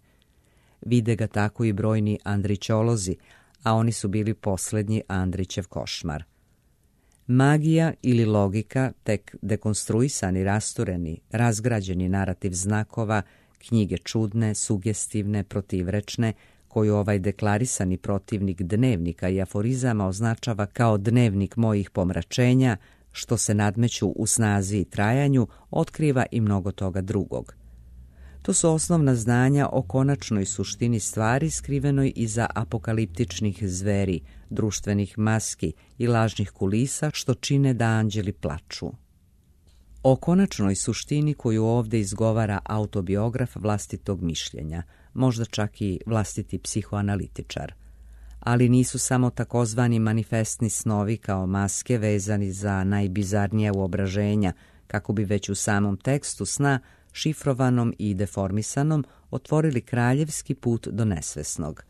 Vide ga tako i brojni Andrićolozi, a oni su bili posljednji Andrićev košmar. Magija ili logika, tek dekonstruisani, rastureni, razgrađeni narativ znakova, knjige čudne, sugestivne, protivrečne, koju ovaj deklarisani protivnik dnevnika i aforizama označava kao dnevnik mojih pomračenja, što se nadmeću u snazi i trajanju, otkriva i mnogo toga drugog. To su osnovna znanja o konačnoj suštini stvari skrivenoj iza apokaliptičnih zveri, društvenih maski i lažnih kulisa što čine da anđeli plaču. O konačnoj suštini koju ovdje izgovara autobiograf vlastitog mišljenja, možda čak i vlastiti psihoanalitičar. ali nisu samo takozvani manifestni snovi kao maske vezani za najbizarnija uobraženja, kako bi već u samom tekstu sna, šifrovanom i deformisanom, otvorili kraljevski put do nesvesnog.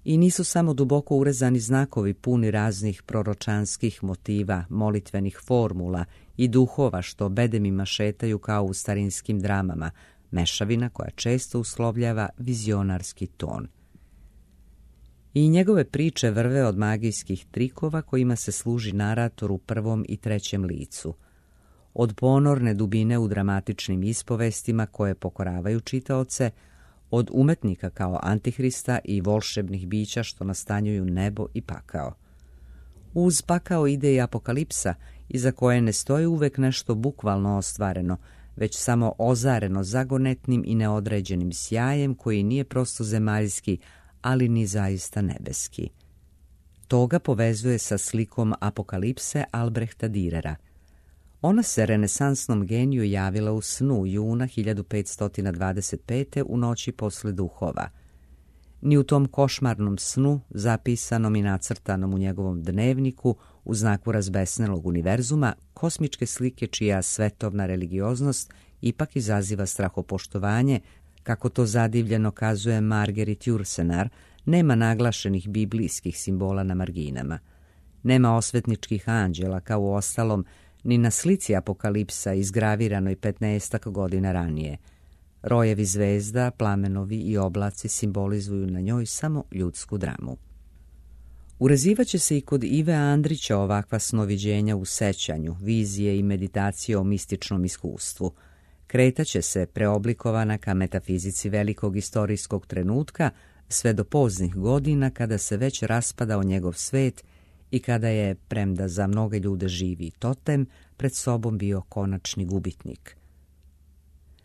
I nisu samo duboko urezani znakovi puni raznih proročanskih motiva, molitvenih formula i duhova što bedemima šetaju kao u starinskim dramama, mešavina koja često uslovljava vizionarski ton. I njegove priče vrve od magijskih trikova kojima se služi narator u prvom i trećem licu, od ponorne dubine u dramatičnim ispovestima koje pokoravaju čitaoce, od umetnika kao Antihrista i volšebnih bića što nastanjuju nebo i pakao. Uz pakao ide i apokalipsa, iza koje ne stoji uvek nešto bukvalno ostvareno, već samo ozareno zagonetnim i neodređenim sjajem koji nije prosto zemaljski, ali ni zaista nebeski. To ga povezuje sa slikom apokalipse Albrehta Dürera. Ona se renesansnom geniju javila u snu juna 1525. u noći posle duhova. Ni u tom košmarnom snu, zapisanom i nacrtanom u njegovom dnevniku, u znaku razbesnelog univerzuma, kosmičke slike čija svetovna religioznost ipak izaziva strahopoštovanje, kako to zadivljeno kazuje Marguerite Yourcenar, nema naglašenih biblijskih simbola na marginama. Nema osvetničkih anđela kao u ostalom ni na slici apokalipsa izgraviranoj 15 godina ranije. Rojevi zvezda, plamenovi i oblaci simbolizuju na njoj samo ljudsku dramu. Urezivaće se i kod Ive Andrića ovakva snoviđenja u sećanju, vizije i meditacije o mističnom iskustvu. Kretaće se preoblikovana ka metafizici velikog istorijskog trenutka sve do poznih godina kada se već raspadao njegov svet i kada je, premda za mnoge ljude živi totem, pred sobom bio konačni gubitnik.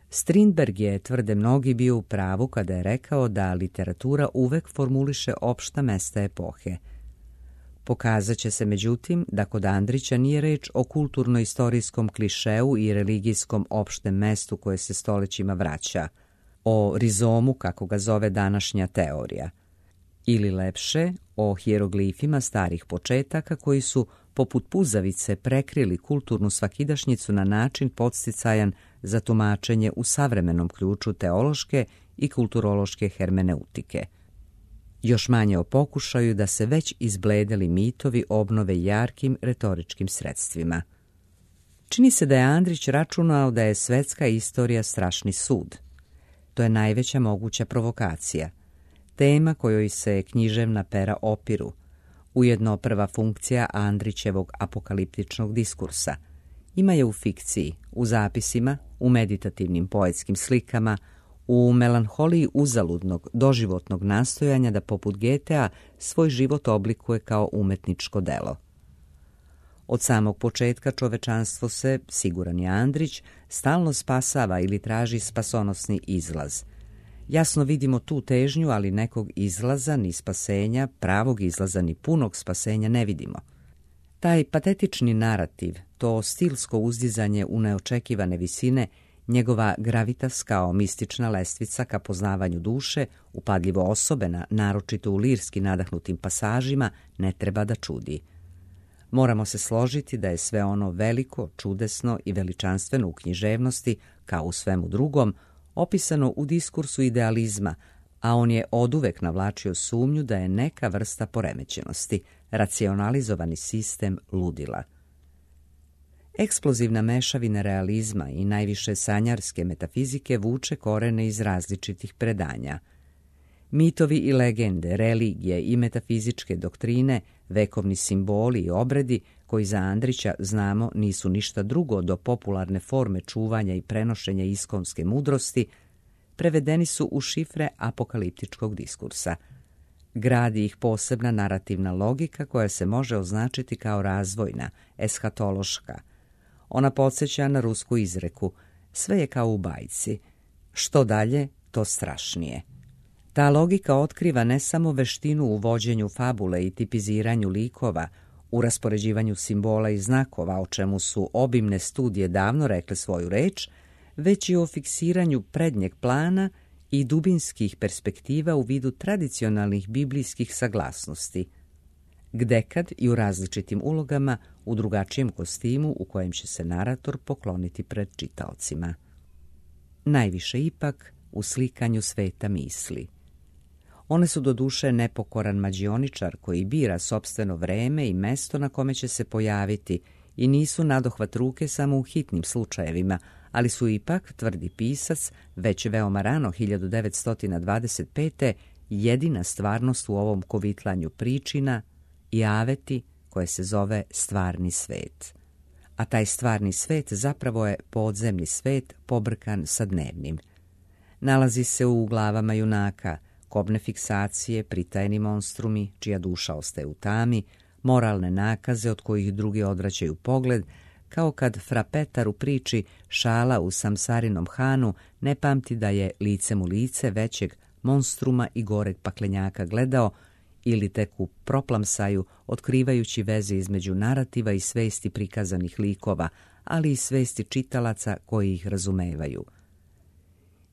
Strindberg je, tvrde mnogi, bio u pravu kada je rekao da literatura uvek formuliše opšta mesta epohe. Pokazat će se, međutim, da kod Andrića nije reč o kulturno-istorijskom klišeu i religijskom opštem mestu koje se stolećima vraća, o rizomu, kako ga zove današnja teorija, ili lepše, o hijeroglifima starih početaka koji su, poput puzavice, prekrili kulturnu svakidašnjicu na način podsticajan za tumačenje u savremenom ključu teološke i kulturološke hermeneutike. Još manje o pokušaju da se već izbledeli mitovi obnove jarkim retoričkim sredstvima. Čini se da je Andrić računao da je svetska istorija strašni sud. To je najveća moguća provokacija, tema kojoj se književna pera opiru, ujedno prva funkcija Andrićevog apokaliptičnog diskursa. Ima je u fikciji, u zapisima, u meditativnim poetskim slikama, u melanholiji uzaludnog, doživotnog nastojanja da poput Getea svoj život oblikuje kao umetničko delo. Od samog početka čovečanstvo se, siguran je Andrić, stalno spasava ili traži spasonosni izlaz. Jasno vidimo tu težnju, ali nekog izlaza ni spasenja, pravog izlaza ni punog spasenja ne vidimo. Taj patetični narativ, to stilsko uzdizanje u neočekivane visine, njegova gravitas kao mistična lestvica ka poznavanju duše, upadljivo osobena, naročito u lirski nadahnutim pasažima, ne treba da čudi. Moramo se složiti da je sve ono veliko, čudesno i veličanstveno u književnosti, kao u svemu drugom, opisano u diskursu idealizma, a on je oduvek navlačio sumnju da je neka vrsta poremećenosti, racionalizovani sistem ludila. Eksplozivna mešavina realizma i najviše sanjarske metafizike vuče korene iz različitih predanja. Mitovi i legende, religije i metafizičke doktrine, vekovni simboli i obredi, koji za Andrića, znamo, nisu ništa drugo do popularne forme čuvanja i prenošenja iskonske mudrosti, prevedeni su u šifre apokaliptičkog diskursa. Gradi ih posebna narativna logika koja se može označiti kao razvojna, eshatološka. Ona podsjeća na rusku izreku: sve je kao u bajci, što dalje, to strašnije. Ta logika otkriva ne samo veštinu u vođenju fabule i tipiziranju likova, u raspoređivanju simbola i znakova, o čemu su obimne studije davno rekle svoju reč, već i o fiksiranju prednjeg plana i dubinskih perspektiva u vidu tradicionalnih biblijskih saglasnosti, gdekad i u različitim ulogama u drugačijem kostimu u kojem će se narator pokloniti pred čitaocima. Najviše ipak u slikanju sveta misli. One su doduše nepokoran mađioničar koji bira sopstveno vreme i mesto na kome će se pojaviti i nisu nadohvat ruke samo u hitnim slučajevima, ali su ipak, tvrdi pisac, već veoma rano 1925. jedina stvarnost u ovom kovitlanju pričina i aveti koje se zove stvarni svet. A taj stvarni svet zapravo je podzemni svet pobrkan sa dnevnim. Nalazi se u glavama junaka, kobne fiksacije, pritajeni monstrumi, čija duša ostaje u tami, moralne nakaze od kojih drugi odvraćaju pogled, kao kad frapetar u priči Šala u Samsarinom Hanu ne pamti da je licem u lice većeg monstruma i goreg paklenjaka gledao, ili tek u proplamsaju otkrivajući veze između narativa i svesti prikazanih likova, ali i svesti čitalaca koji ih razumevaju.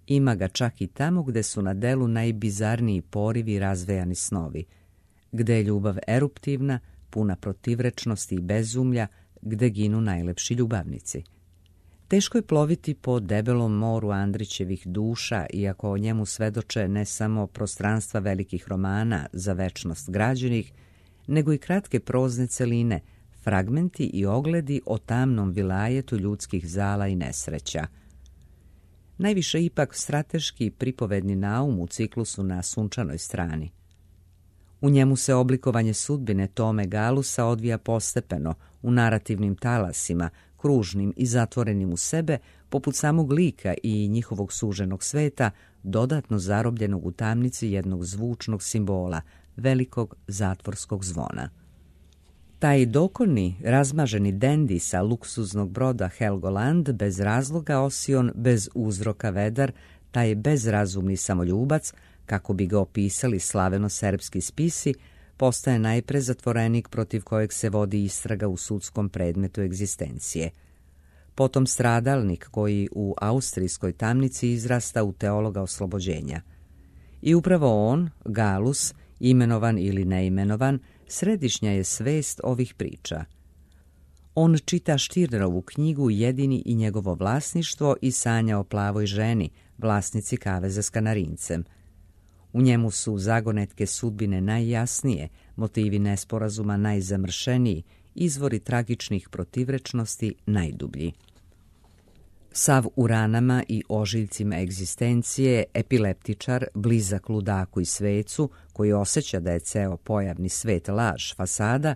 Ima ga čak i tamo gde su na delu najbizarniji porivi i razvejani snovi, gde je ljubav eruptivna, puna protivrečnosti i bezumlja, gde ginu najlepši ljubavnici. Teško je ploviti po debelom moru Andrićevih duša, iako o njemu svedoče ne samo prostranstva velikih romana za večnost građenih, nego i kratke prozne celine, fragmenti i ogledi o tamnom vilajetu ljudskih zala i nesreća. Najviše ipak strateški pripovedni naum u ciklusu Na sunčanoj strani. U njemu se oblikovanje sudbine Tome Galusa odvija postepeno, u narativnim talasima, kružnim i zatvorenim u sebe, poput samog lika i njihovog suženog sveta, dodatno zarobljenog u tamnici jednog zvučnog simbola, velikog zatvorskog zvona. Taj dokorni, razmaženi dendi sa luksuznog broda Helgoland, bez razloga osion, bez uzroka vedar, taj bezrazumni samoljubac, kako bi ga opisali slaveno-serbski spisi, postaje najpre zatvorenik protiv kojeg se vodi istraga u sudskom predmetu egzistencije. Potom stradalnik koji u austrijskoj tamnici izrasta u teologa oslobođenja. I upravo on, Galus, imenovan ili neimenovan, središnja je svest ovih priča. On čita Štirnerovu knjigu Jedini i njegovo vlasništvo i sanja o plavoj ženi, vlasnici kaveza s kanarincem. U njemu su zagonetke sudbine najjasnije, motivi nesporazuma najzamršeniji, izvori tragičnih protivrečnosti najdublji. Sav u ranama i ožiljcima egzistencije, epileptičar, blizak ludaku i svecu, koji osjeća da je ceo pojavni svet laž, fasada,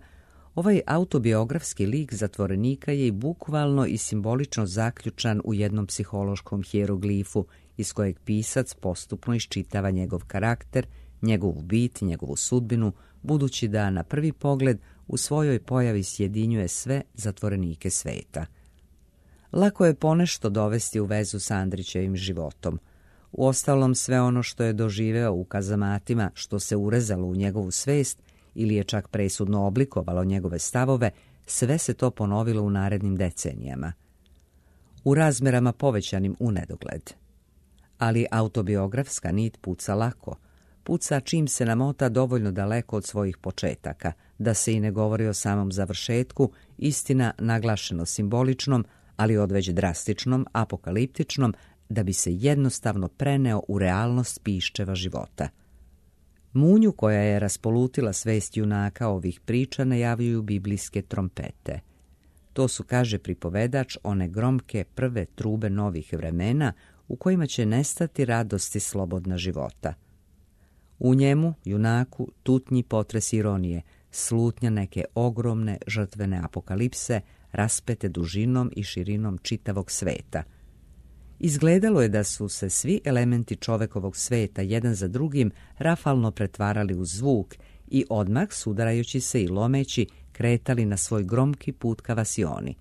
ovaj autobiografski lik zatvorenika je i bukvalno i simbolično zaključan u jednom psihološkom hijeroglifu iz kojeg pisac postupno iščitava njegov karakter, njegovu bit, njegovu sudbinu, budući da na prvi pogled u svojoj pojavi sjedinjuje sve zatvorenike sveta. Lako je ponešto dovesti u vezu sa Andrićevim životom. Uostalom, sve ono što je doživeo u kazamatima, što se urezalo u njegovu svest ili je čak presudno oblikovalo njegove stavove, sve se to ponovilo u narednim decenijama. U razmerama povećanim u nedogled. Ali autobiografska nit puca lako. Puca čim se namota dovoljno daleko od svojih početaka, da se i ne govori o samom završetku, istina naglašeno simboličnom, ali odveć drastičnom, apokaliptičnom, da bi se jednostavno preneo u realnost piščeva života. Munju koja je raspolutila svest junaka ovih priča najavljuju biblijske trompete. To su, kaže pripovedač, one gromke prve trube novih vremena u kojima će nestati radosti slobodna života. U njemu, junaku, tutnji potres ironije, slutnja neke ogromne žrtvene apokalipse, raspete dužinom i širinom čitavog sveta. Izgledalo je da su se svi elementi čovekovog sveta jedan za drugim rafalno pretvarali u zvuk i odmah, sudarajući se i lomeći, kretali na svoj gromki put ka Vasioni.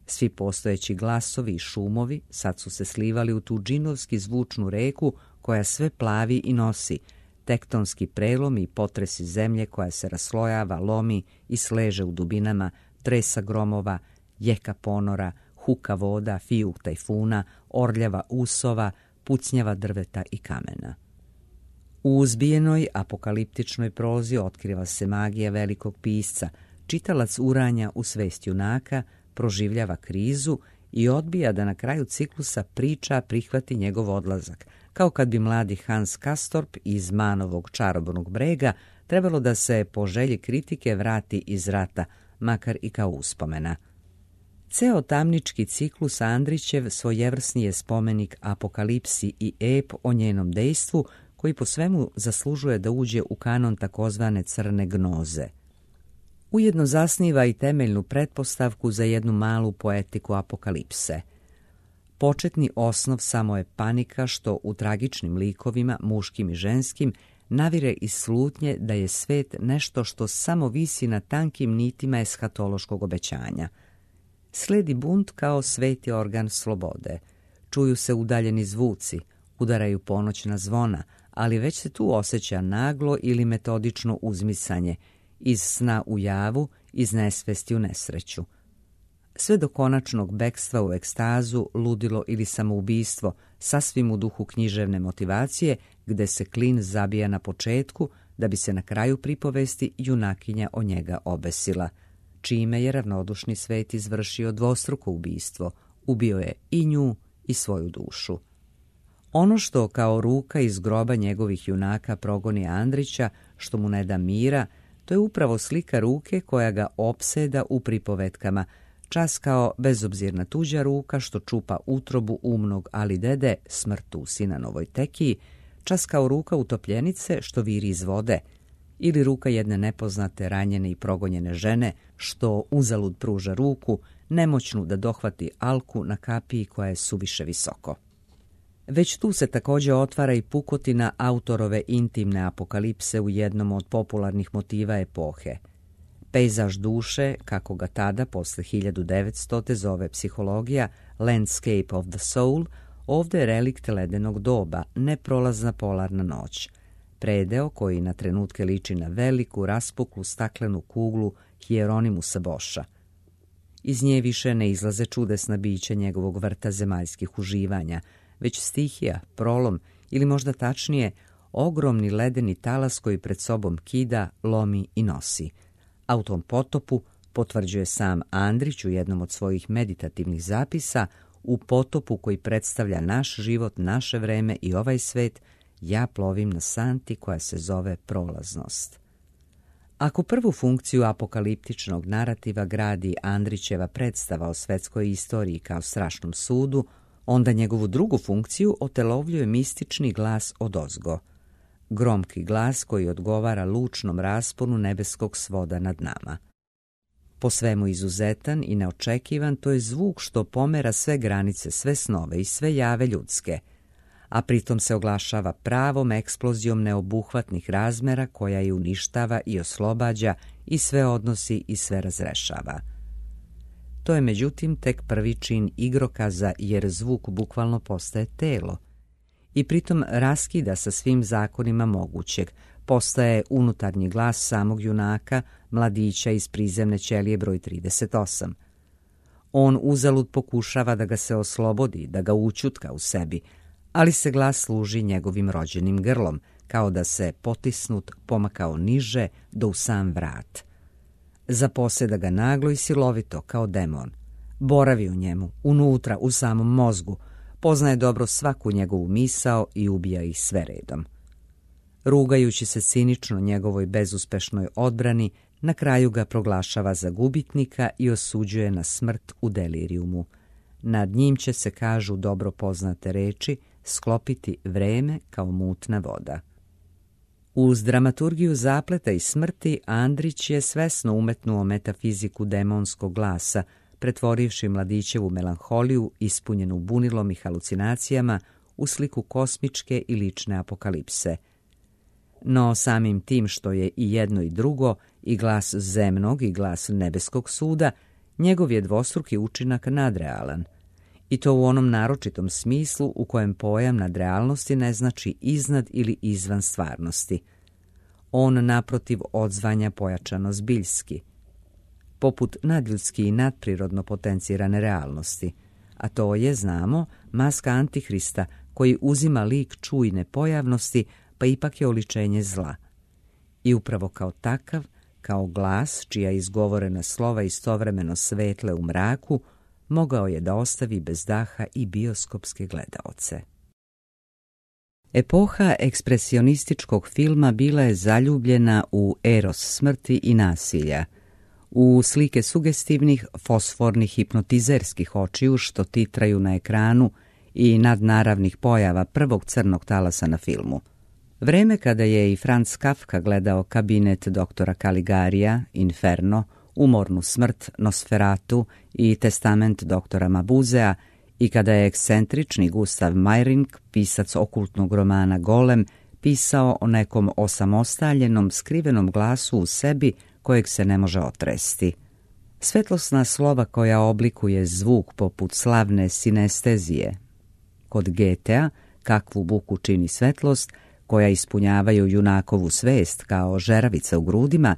Svi postojeći glasovi i šumovi sad su se slivali u tu džinovski zvučnu reku koja sve plavi i nosi, tektonski prelomi i potresi zemlje koja se raslojava, lomi i sleže u dubinama, tresa gromova, jeka ponora, huka voda, fijuk tajfuna, orljava usova, pucnjava drveta i kamena. U uzbijenoj apokaliptičnoj prozi otkriva se magija velikog pisca, čitalac uranja u svest junaka, proživljava krizu i odbija da na kraju ciklusa priča prihvati njegov odlazak, kao kad bi mladi Hans Castorp iz Manovog čarobnog brega trebalo da se po želji kritike vrati iz rata, makar i kao uspomena. Ceo tamnički ciklus Andrićev svojevrsni je spomenik apokalipsi i ep o njenom dejstvu, koji po svemu zaslužuje da uđe u kanon takozvane crne gnoze. Ujedno zasniva i temeljnu pretpostavku za jednu malu poetiku apokalipse. Početni osnov samo je panika što u tragičnim likovima, muškim i ženskim, navire iz slutnje da je svet nešto što samo visi na tankim nitima eshatološkog obećanja. Sledi bunt kao sveti organ slobode. Čuju se udaljeni zvuci, udaraju ponoćna zvona, ali već se tu osjeća naglo ili metodično uzmicanje, iz sna u javu, iz nesvesti u nesreću. Sve do konačnog bekstva u ekstazu, ludilo ili samoubistvo, sasvim u duhu književne motivacije, gde se klin zabija na početku, da bi se na kraju pripovesti junakinja o njega obesila, čime je ravnodušni svet izvršio dvostruko ubistvo, ubio je i nju i svoju dušu. Ono što kao ruka iz groba njegovih junaka progoni Andrića, što mu ne da mira, to je upravo slika ruke koja ga opseda u pripovetkama, čas kao bezobzirna tuđa ruka što čupa utrobu umnog ali dede smrtu u Sinanovoj tekiji, čas kao ruka utopljenice što viri iz vode, ili ruka jedne nepoznate, ranjene i progonjene žene što uzalud pruža ruku, nemoćnu da dohvati alku na kapiji koja je suviše visoko. Već tu se također otvara i pukotina autorove intimne apokalipse u jednom od popularnih motiva epohe. Pejzaž duše, kako ga tada, posle 1900. zove psihologija, landscape of the soul, ovdje je relikt ledenog doba, neprolazna polarna noć. Predeo koji na trenutke liči na veliku, raspuklu staklenu kuglu Hieronymusa Boscha. Iz nje više ne izlaze čudesna bića njegovog vrta zemaljskih uživanja, već stihija, prolom ili možda tačnije ogromni ledeni talas koji pred sobom kida, lomi i nosi. A u tom potopu, potvrđuje sam Andrić u jednom od svojih meditativnih zapisa, u potopu koji predstavlja naš život, naše vreme i ovaj svet, ja plovim na santi koja se zove prolaznost. Ako prvu funkciju apokaliptičnog narativa gradi Andrićeva predstava o svetskoj istoriji kao strašnom sudu, onda njegovu drugu funkciju otelovljuje mistični glas odozgo. Gromki glas koji odgovara lučnom rasponu nebeskog svoda nad nama. Po svemu izuzetan i neočekivan, to je zvuk što pomera sve granice, sve snove i sve jave ljudske, a pritom se oglašava pravom eksplozijom neobuhvatnih razmera koja je uništava i oslobađa i sve odnosi i sve razrešava. To je međutim tek prvi čin igrokaza jer zvuk bukvalno postaje telo i pritom raskida sa svim zakonima mogućeg, postaje unutarnji glas samog junaka, mladića iz prizemne ćelije broj 38. On uzalud pokušava da ga se oslobodi, da ga učutka u sebi, ali se glas služi njegovim rođenim grlom, kao da se potisnut pomakao niže do u sam vrat. Zaposeda ga naglo i silovito kao demon. Boravi u njemu, unutra, u samom mozgu, poznaje dobro svaku njegovu misao i ubija ih sve redom. Rugajući se cinično njegovoj bezuspešnoj odbrani, na kraju ga proglašava za gubitnika i osuđuje na smrt u delirijumu. Nad njim će se, kažu dobro poznate reči, sklopiti vreme kao mutna voda. Uz dramaturgiju zapleta i smrti, Andrić je svesno umetnuo metafiziku demonskog glasa, pretvorivši mladićevu melanholiju, ispunjenu bunilom i halucinacijama, u sliku kosmičke i lične apokalipse. No samim tim što je i jedno i drugo, i glas zemnog i glas nebeskog suda, njegov je dvostruki učinak nadrealan. I to u onom naročitom smislu u kojem pojam nadrealnosti ne znači iznad ili izvan stvarnosti. On naprotiv odzvanja pojačano zbiljski, poput nadljudski i nadprirodno potencirane realnosti, a to je, znamo, maska Antihrista koji uzima lik čujne pojavnosti, pa ipak je oličenje zla. I upravo kao takav, kao glas čija izgovorena slova istovremeno svetle u mraku, mogao je da ostavi bez daha i bioskopske gledaoce. Epoha ekspresionističkog filma bila je zaljubljena u eros smrti i nasilja, u slike sugestivnih, fosfornih hipnotizerskih očiju što titraju na ekranu i nadnaravnih pojava prvog crnog talasa na filmu. Vreme kada je i Franz Kafka gledao Kabinet doktora Caligarija, Inferno, Umornu smrt, Nosferatu i Testament doktora Mabuzea i kada je ekscentrični Gustav Meyrink, pisac okultnog romana Golem, pisao o nekom osamostaljenom, skrivenom glasu u sebi kojeg se ne može otresti. Svetlosna slova koja oblikuje zvuk poput slavne sinestezije. Kod Goethea, kakvu buku čini svetlost, koja ispunjavaju junakovu svest kao žeravica u grudima,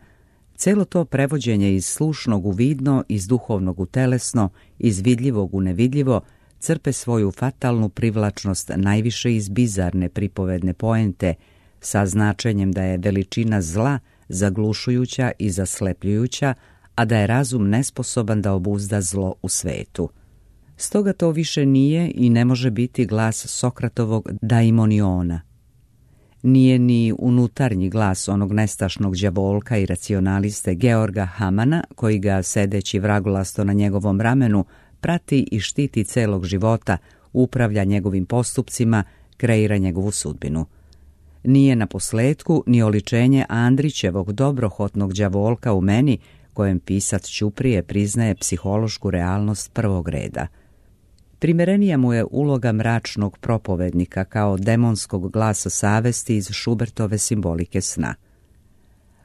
celo to prevođenje iz slušnog u vidno, iz duhovnog u telesno, iz vidljivog u nevidljivo, crpe svoju fatalnu privlačnost najviše iz bizarne pripovedne poente, sa značenjem da je veličina zla zaglušujuća i zaslepljujuća, a da je razum nesposoban da obuzda zlo u svetu. Stoga to više nije i ne može biti glas Sokratovog daimoniona. Nije ni unutarnji glas onog nestašnog đavolka i racionaliste Georga Hamana, koji ga, sedeći vragolasto na njegovom ramenu, prati i štiti celog života, upravlja njegovim postupcima, kreira njegovu sudbinu. Nije na posletku ni oličenje Andrićevog dobrohotnog đavolka u meni, kojem pisac ćuprije priznaje psihološku realnost prvog reda. Primerenija mu je uloga mračnog propovednika kao demonskog glasa savesti iz Schubertove simbolike sna.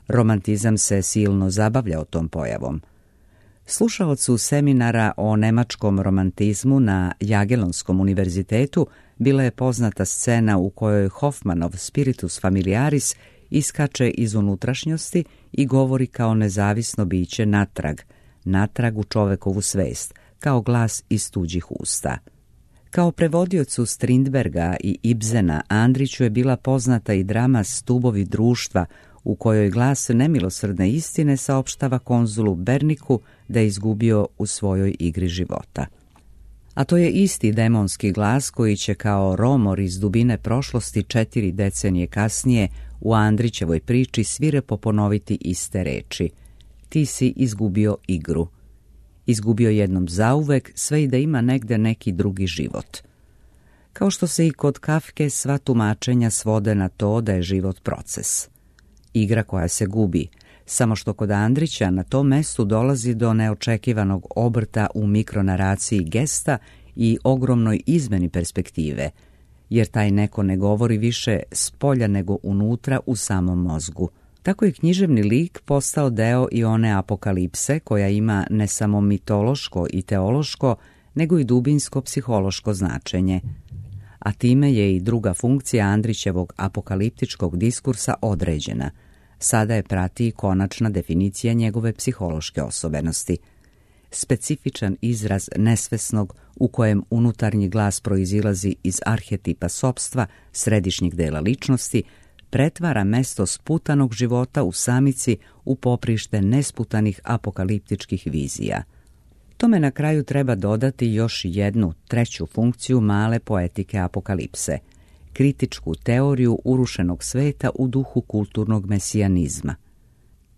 Romantizam se silno zabavljao tom pojavom. Slušaocu seminara o nemačkom romantizmu na Jagelonskom univerzitetu bila je poznata scena u kojoj Hoffmanov spiritus familiaris iskače iz unutrašnjosti i govori kao nezavisno biće natrag u čovekovu svest, kao glas iz tuđih usta. Kao prevodiocu Strindberga i Ibsena, Andriću je bila poznata i drama Stubovi društva, u kojoj glas nemilosrdne istine saopštava konzulu Berniku da je izgubio u svojoj igri života. A to je isti demonski glas koji će kao romor iz dubine prošlosti 4 decenije kasnije u Andrićevoj priči svirepo ponoviti iste reči. Ti si izgubio igru. Izgubio jednom zauvek, sve i da ima negde neki drugi život. Kao što se i kod Kafke sva tumačenja svode na to da je život proces. Igra koja se gubi, samo što kod Andrića na tom mestu dolazi do neočekivanog obrta u mikronaraciji gesta i ogromnoj izmeni perspektive, jer taj neko ne govori više s polja nego unutra u samom mozgu. Tako je književni lik postao deo i one apokalipse koja ima ne samo mitološko i teološko, nego i dubinsko psihološko značenje. A time je i druga funkcija Andrićevog apokaliptičkog diskursa određena. Sada je prati i konačna definicija njegove psihološke osobenosti. Specifičan izraz nesvesnog u kojem unutarnji glas proizilazi iz arhetipa sopstva, središnjeg dela ličnosti, pretvara mesto sputanog života u samici u poprište nesputanih apokaliptičkih vizija. Tome na kraju treba dodati još jednu, treću funkciju male poetike apokalipse, kritičku teoriju urušenog sveta u duhu kulturnog mesijanizma.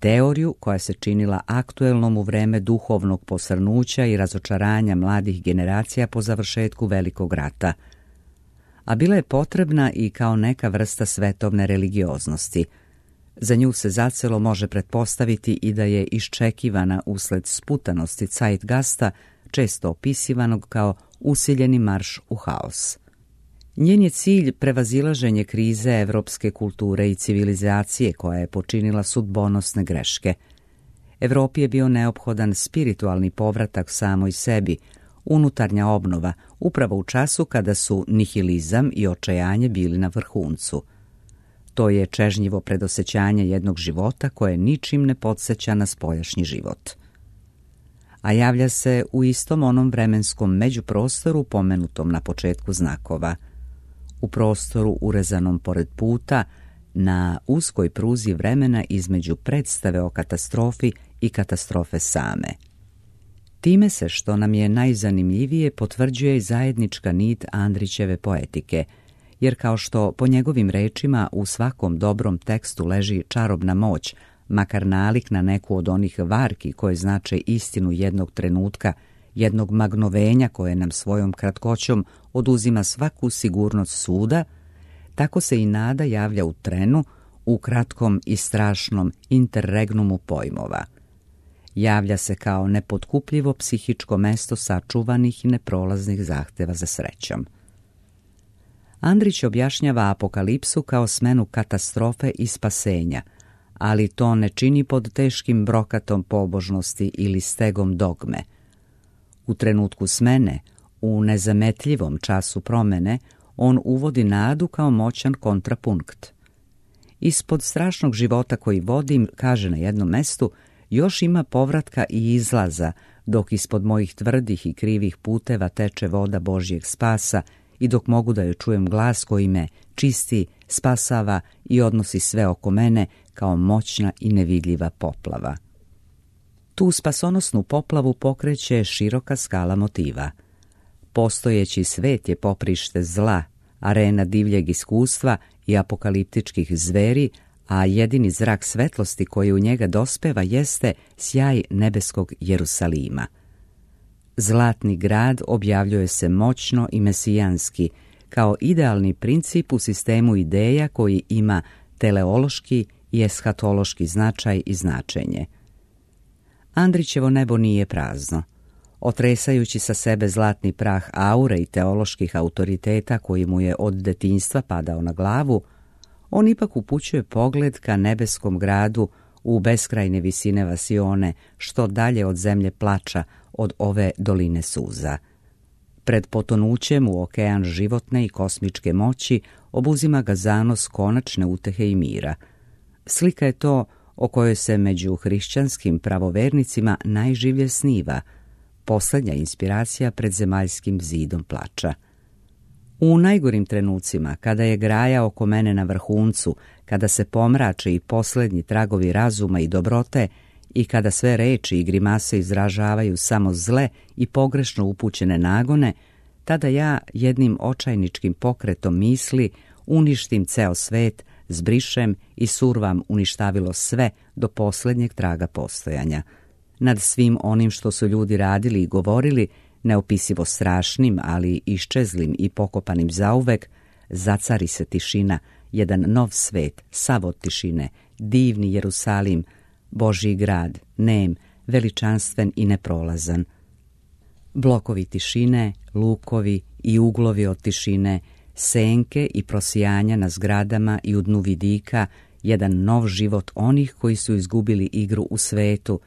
Teoriju koja se činila aktuelnom u vreme duhovnog posrnuća i razočaranja mladih generacija po završetku Velikog rata, a bila je potrebna i kao neka vrsta svetovne religioznosti. Za nju se zacelo može pretpostaviti i da je iščekivana usled sputanosti zeitgasta, često opisivanog kao usiljeni marš u haos. Njen je cilj prevazilaženje krize evropske kulture i civilizacije koja je počinila sudbonosne greške. Evropi je bio neophodan spiritualni povratak samoj sebi, unutarnja obnova, upravo u času kada su nihilizam i očajanje bili na vrhuncu. To je čežnjivo predosećanje jednog života koje ničim ne podsjeća na spoljašnji život. A javlja se u istom onom vremenskom međuprostoru pomenutom na početku znakova. u prostoru urezanom pored puta, na uskoj pruzi vremena između predstave o katastrofi i katastrofe same. Time se, što nam je najzanimljivije, potvrđuje i zajednička nit Andrićeve poetike, jer kao što po njegovim rečima u svakom dobrom tekstu leži čarobna moć, makar nalik na neku od onih varki koje znače istinu jednog trenutka, jednog magnovenja koje nam svojom kratkoćom oduzima svaku sigurnost suda, tako se i nada javlja u trenu, u kratkom i strašnom interregnumu pojmova. Javlja se kao nepotkupljivo psihičko mesto sačuvanih i neprolaznih zahteva za srećom. Andrić objašnjava apokalipsu kao smenu katastrofe i spasenja, ali to ne čini pod teškim brokatom pobožnosti ili stegom dogme. U trenutku smene, u nezametljivom času promene, on uvodi nadu kao moćan kontrapunkt. Ispod strašnog života koji vodim, kaže na jednom mestu, još ima povratka i izlaza, dok ispod mojih tvrdih i krivih puteva teče voda Božjeg spasa i dok mogu da joj čujem glas koji me čisti, spasava i odnosi sve oko mene kao moćna i nevidljiva poplava. Tu spasonosnu poplavu pokreće široka skala motiva. Postojeći svet je poprište zla, arena divljeg iskustva i apokaliptičkih zveri, a jedini zrak svetlosti koji u njega dospeva jeste sjaj nebeskog Jerusalima. Zlatni grad objavljuje se moćno i mesijanski, kao idealni princip u sistemu ideja koji ima teleološki i eshatološki značaj i značenje. Andrićevo nebo nije prazno. Otresajući sa sebe zlatni prah aure i teoloških autoriteta koji mu je od detinjstva padao na glavu, on ipak upućuje pogled ka nebeskom gradu u beskrajne visine vasione, što dalje od zemlje plača, od ove doline suza. Pred potonućem u okean životne i kosmičke moći obuzima ga zanos konačne utehe i mira. Slika je to o kojoj se među hrišćanskim pravovernicima najživlje sniva, posljednja inspiracija pred zemaljskim zidom plača. U najgorim trenucima, kada je graja oko mene na vrhuncu, kada se pomrače i posljednji tragovi razuma i dobrote i kada sve reči i grimase izražavaju samo zle i pogrešno upućene nagone, tada ja jednim očajničkim pokretom misli uništim ceo svet, zbrišem i survam uništavilo sve do posljednjeg traga postojanja. Nad svim onim što su ljudi radili i govorili, neopisivo strašnim, ali iščezlim i pokopanim zauvek, zacari se tišina, jedan nov svet, sav od tišine, divni Jerusalim, Božji grad, nem, veličanstven i neprolazan. Blokovi tišine, lukovi i uglovi od tišine, senke i prosijanja na zgradama i u dnu vidika, jedan nov život onih koji su izgubili igru u svetu,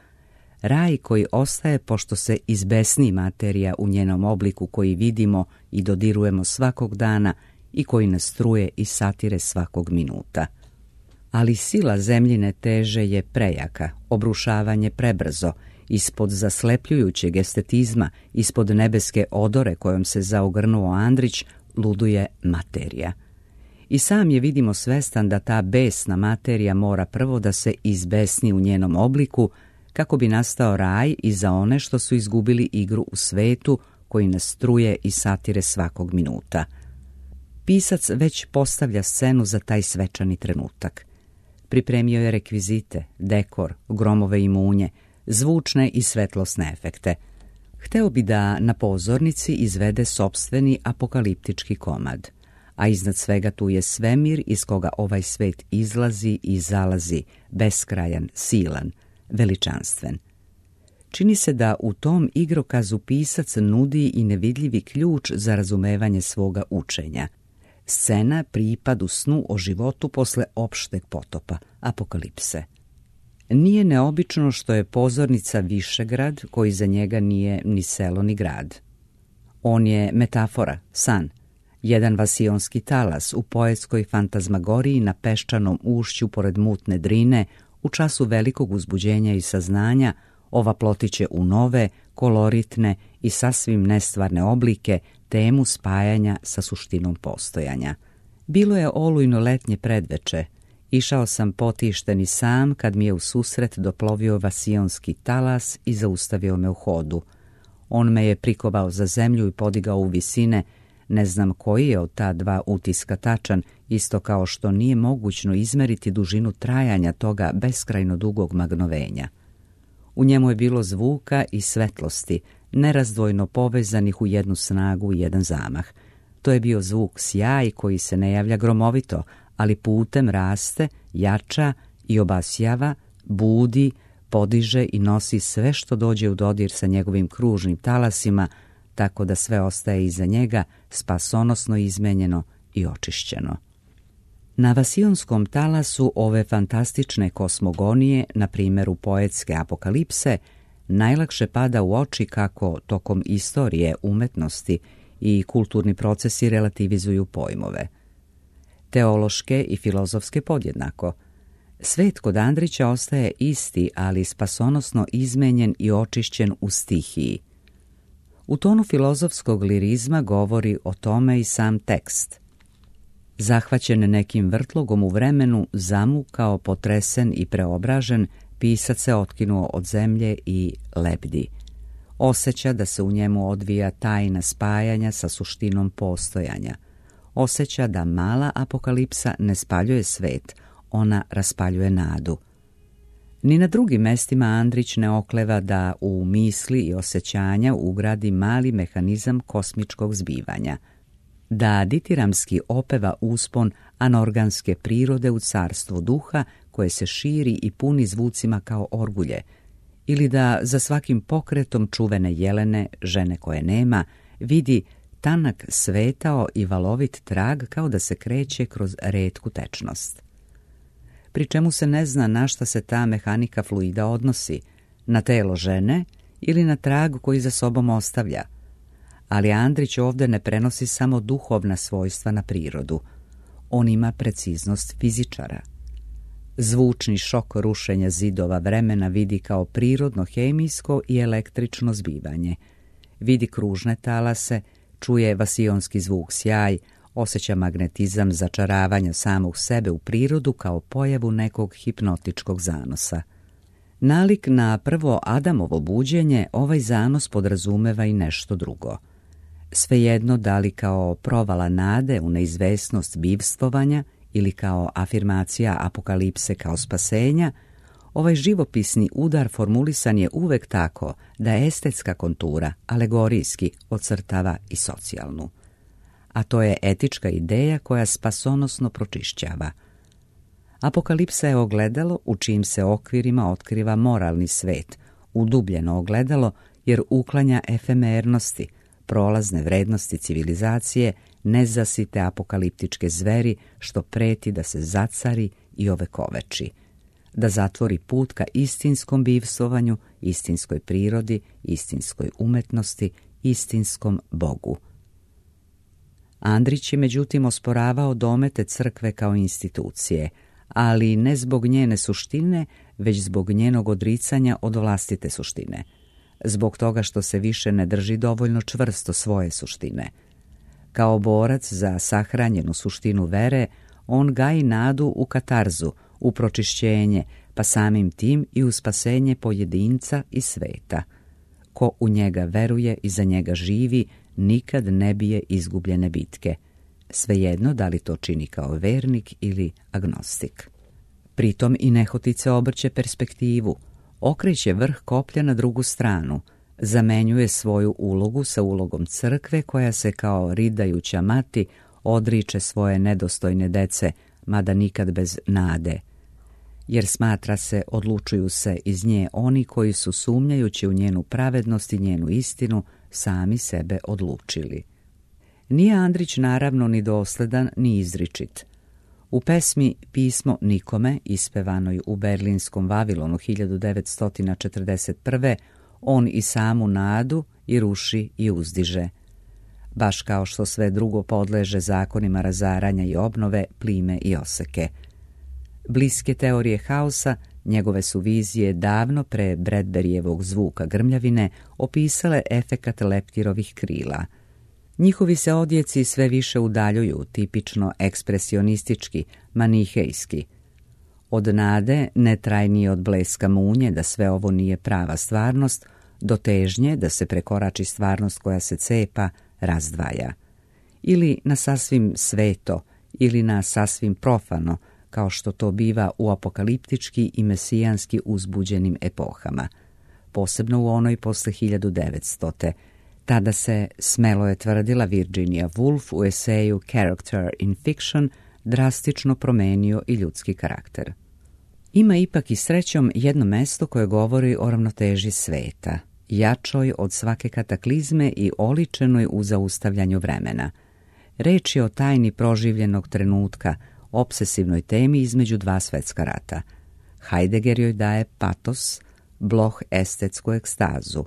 raj koji ostaje pošto se izbesni materija u njenom obliku koji vidimo i dodirujemo svakog dana i koji nas struje i satire svakog minuta. Ali sila zemljine teže je prejaka, obrušavanje prebrzo, ispod zaslepljujućeg estetizma, ispod nebeske odore kojom se zaogrnuo Andrić, luduje materija. I sam je, vidimo, svestan da ta besna materija mora prvo da se izbesni u njenom obliku, kako bi nastao raj i za one što su izgubili igru u svetu koji nas struje i satire svakog minuta. Pisac već postavlja scenu za taj svečani trenutak. Pripremio je rekvizite, dekor, gromove i munje, zvučne i svetlosne efekte. Hteo bi da na pozornici izvede sopstveni apokaliptički komad, a iznad svega tu je svemir iz koga ovaj svet izlazi i zalazi, beskrajan, silan, veličanstven. Čini se da u tom igrokazu pisac nudi i nevidljivi ključ za razumevanje svoga učenja. Scena pripad u snu o životu posle opšteg potopa, apokalipse. Nije neobično što je pozornica Višegrad, koji za njega nije ni selo ni grad. On je metafora, san, jedan vasionski talas u poetskoj fantazmagoriji na peščanom ušću pored mutne drine, u času velikog uzbuđenja i saznanja, ova plotiće u nove, koloritne i sasvim nestvarne oblike, temu spajanja sa suštinom postojanja. Bilo je olujno letnje predveče. Išao sam potišten i sam kad mi je u susret doplovio vasionski talas i zaustavio me u hodu. On me je prikovao za zemlju i podigao u visine. Ne znam koji je od ta dva utiska tačan, isto kao što nije mogućno izmeriti dužinu trajanja toga beskrajno dugog magnovenja. U njemu je bilo zvuka i svetlosti, nerazdvojno povezanih u jednu snagu i jedan zamah. To je bio zvuk sjaj koji se ne javlja gromovito, ali putem raste, jača i obasjava, budi, podiže i nosi sve što dođe u dodir sa njegovim kružnim talasima, tako da sve ostaje iza njega spasonosno izmenjeno i očišćeno. Na vasionskom talasu ove fantastične kosmogonije, na primjeru poetske apokalipse, najlakše pada u oči kako tokom istorije, umetnosti i kulturni procesi relativizuju pojmove. Teološke i filozofske podjednako. Svet kod Andrića ostaje isti, ali spasonosno izmenjen i očišćen u stihiji. U tonu filozofskog lirizma govori o tome i sam tekst. Zahvaćen nekim vrtlogom u vremenu, zamukao, potresen i preobražen, pisac se otkinuo od zemlje i lebdi. Osjeća da se u njemu odvija tajna spajanja sa suštinom postojanja. Osjeća da mala apokalipsa ne spaljuje svet, ona raspaljuje nadu. Ni na drugim mestima Andrić ne okleva da u misli i osjećanja ugradi mali mehanizam kosmičkog zbivanja, da ditiramski opeva uspon anorganske prirode u carstvo duha koje se širi i puni zvucima kao orgulje, ili da za svakim pokretom čuvene jelene, žene koje nema, vidi tanak svetao i valovit trag kao da se kreće kroz retku tečnost. Pri čemu se ne zna na šta se ta mehanika fluida odnosi, na telo žene ili na trag koji za sobom ostavlja. Ali Andrić ovdje ne prenosi samo duhovna svojstva na prirodu. On ima preciznost fizičara. Zvučni šok rušenja zidova vremena vidi kao prirodno hemijsko i električno zbivanje. Vidi kružne talase, čuje vasionski zvuk sjaj, osjeća magnetizam začaravanja samog sebe u prirodu kao pojavu nekog hipnotičkog zanosa. Nalik na prvo Adamovo buđenje, ovaj zanos podrazumeva i nešto drugo. Svejedno da li kao provala nade u neizvesnost bivstvovanja ili kao afirmacija apokalipse kao spasenja, ovaj živopisni udar formulisan je uvek tako da estetska kontura alegorijski ocrtava i socijalnu. A to je etička ideja koja spasonosno pročišćava. Apokalipsa je ogledalo u čijim se okvirima otkriva moralni svet, udubljeno ogledalo jer uklanja efemernosti, prolazne vrednosti civilizacije, nezasite apokaliptičke zveri što preti da se zacari i ovekoveči, da zatvori put ka istinskom bivstvovanju, istinskoj prirodi, istinskoj umetnosti, istinskom Bogu. Andrić je međutim osporavao domete crkve kao institucije, ali ne zbog njene suštine, već zbog njenog odricanja od vlastite suštine, zbog toga što se više ne drži dovoljno čvrsto svoje suštine. Kao borac za sahranjenu suštinu vere, on gaji nadu u katarzu, u pročišćenje, pa samim tim i u spasenje pojedinca i sveta. Ko u njega veruje i za njega živi, nikad ne bije izgubljene bitke, svejedno da li to čini kao vernik ili agnostik. Pritom i nehotice obrće perspektivu, okreće vrh koplja na drugu stranu, zamenjuje svoju ulogu sa ulogom crkve koja se kao ridajuća mati odriče svoje nedostojne dece, mada nikad bez nade. Jer smatra se, odlučuju se iz nje oni koji su sumnjajući u njenu pravednost i njenu istinu sami sebe odlučili. Nije Andrić naravno ni dosledan ni izričit. U pesmi Pismo nikome, ispevanoj u berlinskom Vavilonu 1941. on i samu nadu i ruši i uzdiže. Baš kao što sve drugo podleže zakonima razaranja i obnove, plime i oseke. Bliske teorije haosa, njegove su vizije davno pre Bradburyjevog zvuka grmljavine opisale efekat leptirovih krila. Njihovi se odjeci sve više udaljuju, tipično ekspresionistički, manihejski. Od nade, netrajnije od bleska munje da sve ovo nije prava stvarnost, do težnje da se prekorači stvarnost koja se cepa, razdvaja. Ili na sasvim sveto, ili na sasvim profano, kao što to biva u apokaliptički i mesijanski uzbuđenim epohama, posebno u onoj posle 1900. Tada se, smelo je tvrdila Virginia Woolf u eseju Character in Fiction, drastično promenio i ljudski karakter. Ima ipak i srećom jedno mesto koje govori o ravnoteži sveta, jačoj od svake kataklizme i oličenoj u zaustavljanju vremena. Reč je o tajni proživljenog trenutka, opsesivnoj temi između dva svetska rata. Heidegger joj daje patos, Bloch estetsku ekstazu,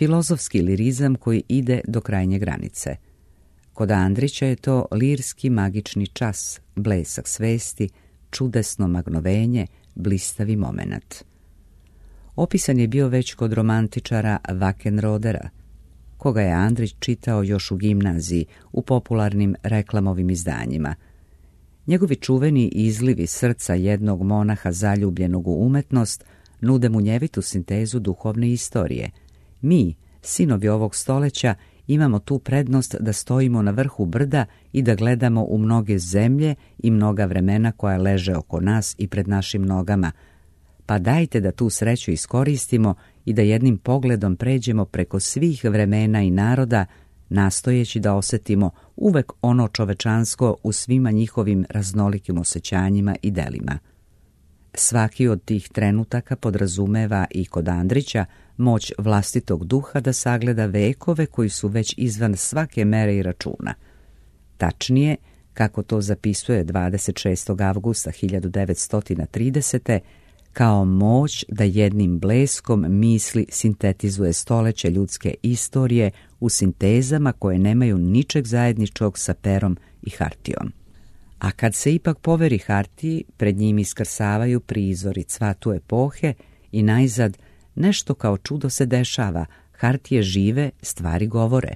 filozofski lirizam koji ide do krajnje granice. Kod Andrića je to lirski magični čas, blesak svesti, čudesno magnovenje, blistavi momenat. Opisan je bio već kod romantičara Wackenrodera, koga je Andrić čitao još u gimnaziji u popularnim reklamovim izdanjima. Njegovi čuveni izlivi srca jednog monaha zaljubljenog u umetnost nude munjevitu sintezu duhovne istorije. Mi, sinovi ovog stoleća, imamo tu prednost da stojimo na vrhu brda i da gledamo u mnoge zemlje i mnoga vremena koja leže oko nas i pred našim nogama. Pa dajte da tu sreću iskoristimo i da jednim pogledom pređemo preko svih vremena i naroda, nastojeći da osjetimo uvek ono čovečansko u svima njihovim raznolikim osjećanjima i delima. Svaki od tih trenutaka podrazumeva i kod Andrića moć vlastitog duha da sagleda vekove koji su već izvan svake mere i računa. Tačnije, kako to zapisuje 26. avgusta 1930. kao moć da jednim bleskom misli sintetizuje stoleće ljudske istorije u sintezama koje nemaju ničeg zajedničkog sa perom i hartijom. A kad se ipak poveri hartiji, pred njim iskrsavaju prizori cvatu epohe i najzad nešto kao čudo se dešava, hartije žive, stvari govore.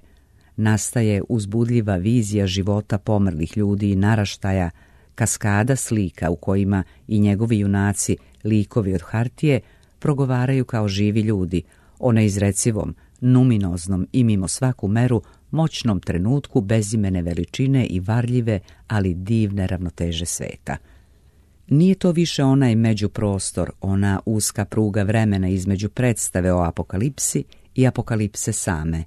Nastaje uzbudljiva vizija života pomrlih ljudi i naraštaja, kaskada slika u kojima i njegovi junaci, likovi od hartije, progovaraju kao živi ljudi, o neizrecivom, numinoznom i mimo svaku meru moćnom trenutku bezimene veličine i varljive, ali divne ravnoteže sveta. Nije to više onaj međuprostor, ona uska pruga vremena između predstave o apokalipsi i apokalipse same.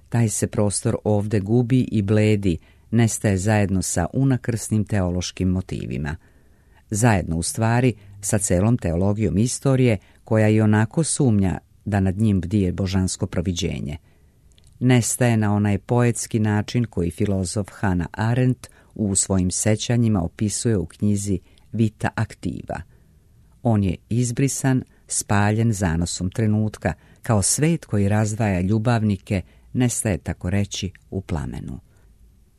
Taj se prostor ovde gubi i bledi, nestaje zajedno sa unakrsnim teološkim motivima. Zajedno u stvari sa celom teologijom istorije koja i onako sumnja da nad njim bdije božansko proviđenje. Nestaje na onaj poetski način koji filozof Hannah Arendt u svojim sećanjima opisuje u knjizi Vita Activa. On je izbrisan, spaljen zanosom trenutka, kao svet koji razdvaja ljubavnike, nestaje tako reći u plamenu.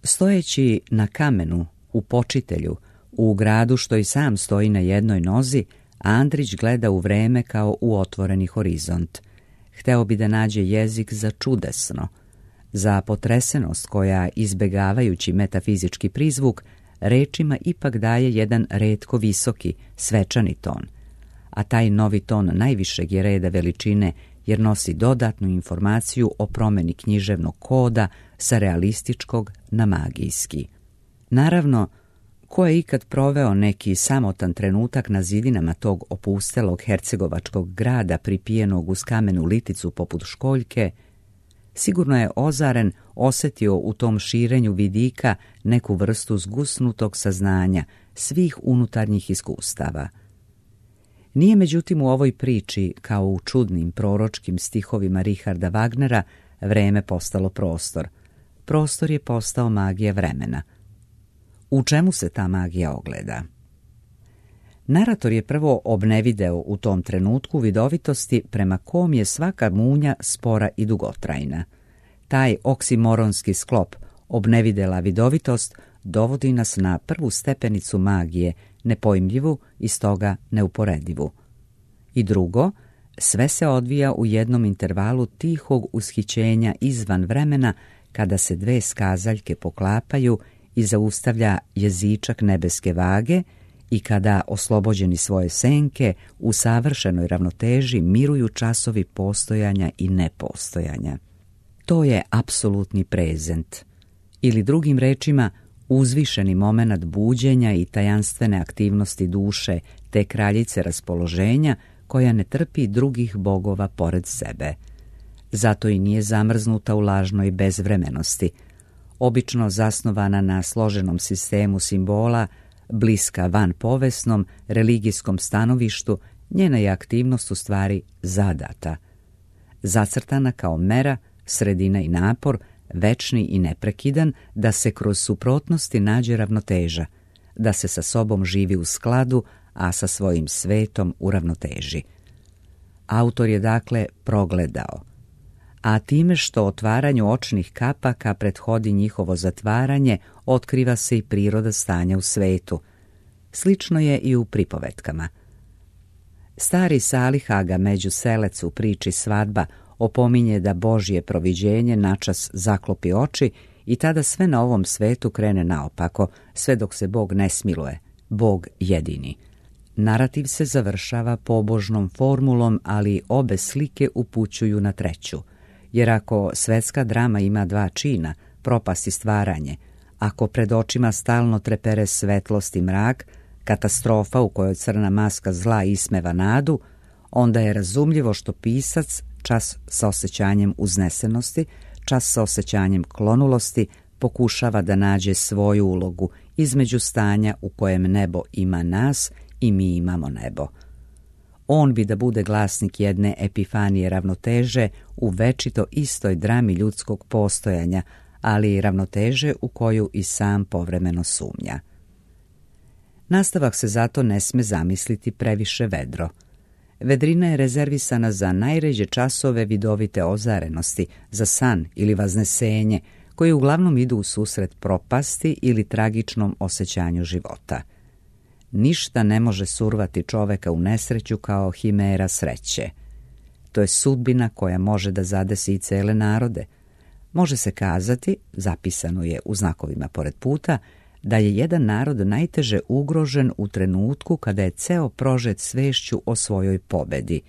Stojeći na kamenu, u počitelju, u gradu što i sam stoji na jednoj nozi, Andrić gleda u vreme kao u otvoreni horizont. Hteo bi da nađe jezik za čudesno, za potresenost koja, izbegavajući metafizički prizvuk, rečima ipak daje jedan retko visoki, svečani ton. A taj novi ton najvišeg je reda veličine jer nosi dodatnu informaciju o promeni književnog koda sa realističkog na magijski. Naravno, ko je ikad proveo neki samotan trenutak na zidinama tog opustelog hercegovačkog grada pripijenog uz kamenu liticu poput školjke, sigurno je ozaren osjetio u tom širenju vidika neku vrstu zgusnutog saznanja svih unutarnjih iskustava. Nije međutim u ovoj priči, kao u čudnim proročkim stihovima Richarda Wagnera, vreme postalo prostor. Prostor je postao magija vremena. U čemu se ta magija ogleda? Narator je prvo obnevideo u tom trenutku vidovitosti prema kom je svaka munja spora i dugotrajna. Taj oksimoronski sklop, obnevidela vidovitost, dovodi nas na prvu stepenicu magije, nepojmljivu i stoga neuporedivu. I drugo, sve se odvija u jednom intervalu tihog ushićenja izvan vremena, kada se dve skazaljke poklapaju i zaustavlja jezičak nebeske vage i kada, oslobođeni svoje senke, u savršenoj ravnoteži miruju časovi postojanja i nepostojanja. To je apsolutni prezent, ili drugim rečima, uzvišeni momenat buđenja i tajanstvene aktivnosti duše te kraljice raspoloženja koja ne trpi drugih bogova pored sebe. Zato i nije zamrznuta u lažnoj bezvremenosti, obično zasnovana na složenom sistemu simbola, bliska vanpovesnom, religijskom stanovištu, njena je aktivnost u stvari zadata. Zacrtana kao mera, sredina i napor, večni i neprekidan, da se kroz suprotnosti nađe ravnoteža, da se sa sobom živi u skladu, a sa svojim svetom u ravnoteži. Autor je dakle progledao, a time što otvaranju očnih kapaka prethodi njihovo zatvaranje, otkriva se i priroda stanja u svetu. Slično je i u pripovetkama. Stari Salih Aga Međuselec u priči Svadba opominje da Božje proviđenje načas zaklopi oči i tada sve na ovom svetu krene naopako, sve dok se Bog ne smiluje, Bog jedini. Narativ se završava pobožnom formulom, ali obe slike upućuju na treću. Jer ako svetska drama ima dva čina, propast i stvaranje, ako pred očima stalno trepere svetlost i mrak, katastrofa u kojoj crna maska zla ismeva nadu, onda je razumljivo što pisac, čas sa osjećanjem uznesenosti, čas sa osjećanjem klonulosti, pokušava da nađe svoju ulogu između stanja u kojem nebo ima nas i mi imamo nebo. On bi da bude glasnik jedne epifanije ravnoteže u večito istoj drami ljudskog postojanja, ali i ravnoteže u koju i sam povremeno sumnja. Nastavak se zato ne sme zamisliti previše vedro. Vedrina je rezervisana za najređe časove vidovite ozarenosti, za san ili vaznesenje, koji uglavnom idu u susret propasti ili tragičnom osjećanju života. Ništa ne može survati čoveka u nesreću kao himera sreće. To je sudbina koja može da zadesi i cele narode. Može se kazati, zapisano je u znakovima pored puta, da je jedan narod najteže ugrožen u trenutku kada je ceo prožet svešću o svojoj pobedi.